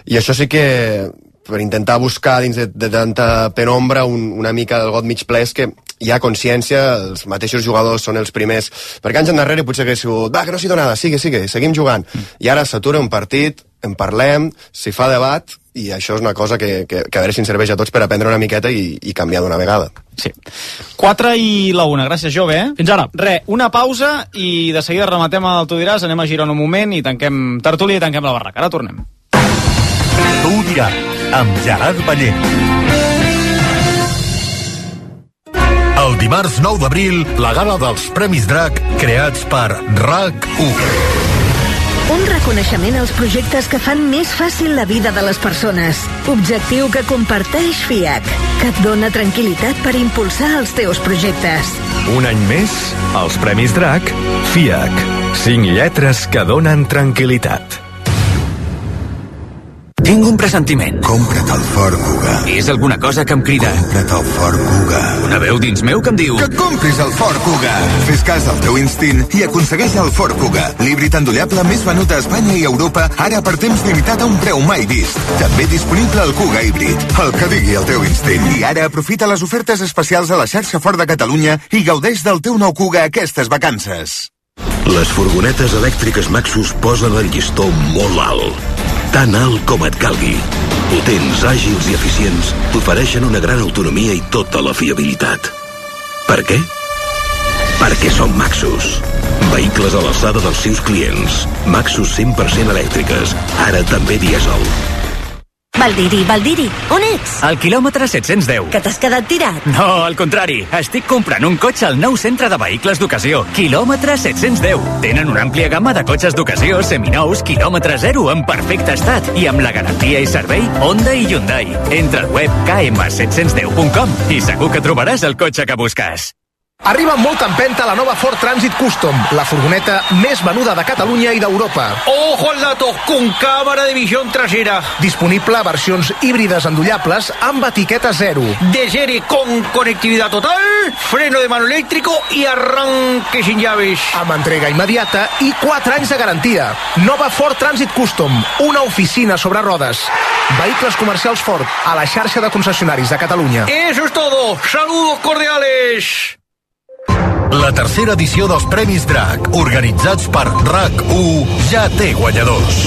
i això sí que, per intentar buscar dins de, de tanta penombra un, una mica del got mig ple, és que hi ha consciència, els mateixos jugadors són els primers, perquè anys endarrere potser hagués sigut, va, que no s'hi dona nada, sigue, sigue, seguim jugant, mm. i ara s'atura un partit, en parlem, s'hi fa debat, i això és una cosa que, que, que a veure si ens serveix a tots per aprendre una miqueta i, i canviar d'una vegada. Sí. quatre i la una, gràcies, Jove, eh? Fins ara. Re, una pausa i de seguida rematem el Tu diràs, anem a girar un moment i tanquem tertúlia i tanquem la barraca. Ara tornem. Tu diràs, amb Gerard Ballent. El dimarts nou d'abril, la gala dels Premis Drac, creats per RAC u. Un reconeixement als projectes que fan més fàcil la vida de les persones. Objectiu que comparteix FIAC, que et dona tranquil·litat per impulsar els teus projectes. Un any més, els Premis Drac, FIAC. Cinc lletres que donen tranquil·litat. Tinc un pressentiment. Compra't el Ford Kuga. És alguna cosa que em crida. Compra't el Ford Kuga. Una veu dins meu que em diu... Que compris el Ford Kuga. Fes cas del teu instint i aconsegueix el Ford Kuga, l'híbrid endollable més venut a Espanya i Europa, ara per temps limitat a un preu mai vist. També disponible el Kuga híbrid, el que digui el teu instint. I ara aprofita les ofertes especials a la xarxa Ford de Catalunya i gaudeix del teu nou Kuga aquestes vacances. Les furgonetes elèctriques Maxus posen el llistó molt alt. Tan alt com et calgui. Potents, àgils i eficients, t'ofereixen una gran autonomia i tota la fiabilitat. Per què? Perquè són Maxus. Vehicles a l'alçada dels seus clients. Maxus cent per cent elèctriques, ara també dièsel. Valdiri, Valdiri, on ets? Al quilòmetre set-cents deu. Que t'has quedat tirat? No, al contrari. Estic comprant un cotxe al nou centre de vehicles d'ocasió. Quilòmetre set-cents deu. Tenen una àmplia gamma de cotxes d'ocasió, seminous, quilòmetre zero, en perfecte estat. I amb la garantia i servei Honda i Hyundai. Entra al web k m set cents deu punt com i segur que trobaràs el cotxe que busques. Arriba amb molta empenta la nova Ford Transit Custom, la furgoneta més venuda de Catalunya i d'Europa. ¡Ojo al dato! Con cámara de visión trasera. Disponible a versions híbrides endollables amb etiqueta zero. De serie con conectividad total, freno de mano eléctrico y arranque sin llaves. Amb entrega immediata i quatre anys de garantia. Nova Ford Transit Custom, una oficina sobre rodes. Vehicles comercials Ford, a la xarxa de concessionaris de Catalunya. Eso es todo. Saludos cordiales. La tercera edició dels Premis Drac, organitzats per RAC u, ja té guanyadors.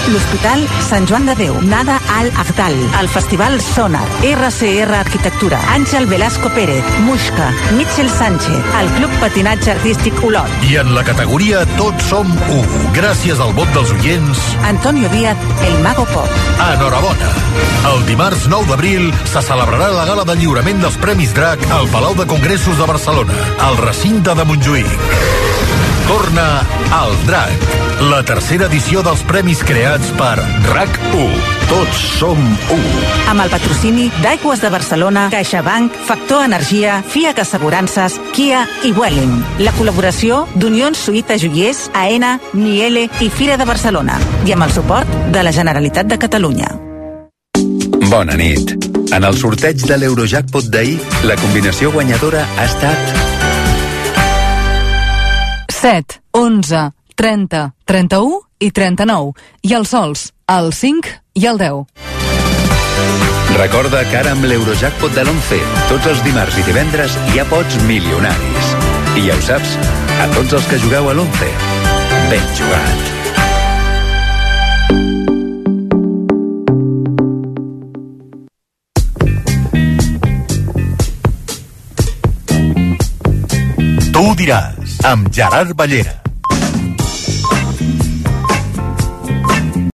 L'Hospital Sant Joan de Déu, Nada Al Agdal, el Festival Sonar, R C R Arquitectura, Àngel Velasco Pérez, Muixca, Mitchell Sánchez, el Club Patinatge Artístic Olot. I en la categoria Tots som u, gràcies al vot dels oients, Antonio Díaz, el Mago Pop. Enhorabona. El dimarts nou d'abril se celebrarà la gala de lliurament dels Premis Drac al Palau de Congressos de Barcelona, al recinte de Montjuïc. Torna al Drac, la tercera edició dels premis creats per RAC u. Tots som u. Amb el patrocini d'Aigües de Barcelona, CaixaBank, Factor Energia, Fiac Assegurances, Kia i Welling. La col·laboració d'Unió Suïta Joiers, AENA, Miele i Fira de Barcelona. I amb el suport de la Generalitat de Catalunya. Bona nit. En el sorteig de l'Eurojackpot d'ahir, la combinació guanyadora ha estat set, onze, trenta, trenta-u i trenta-nou. I els sols, el cinc i el deu. Recorda que ara amb l'Eurojackpot de l'once, tots els dimarts i divendres hi ha pots milionaris. I ja ho saps, a tots els que jugueu a l'once, ben jugat. Tu diràs, amb Gerard Ballera.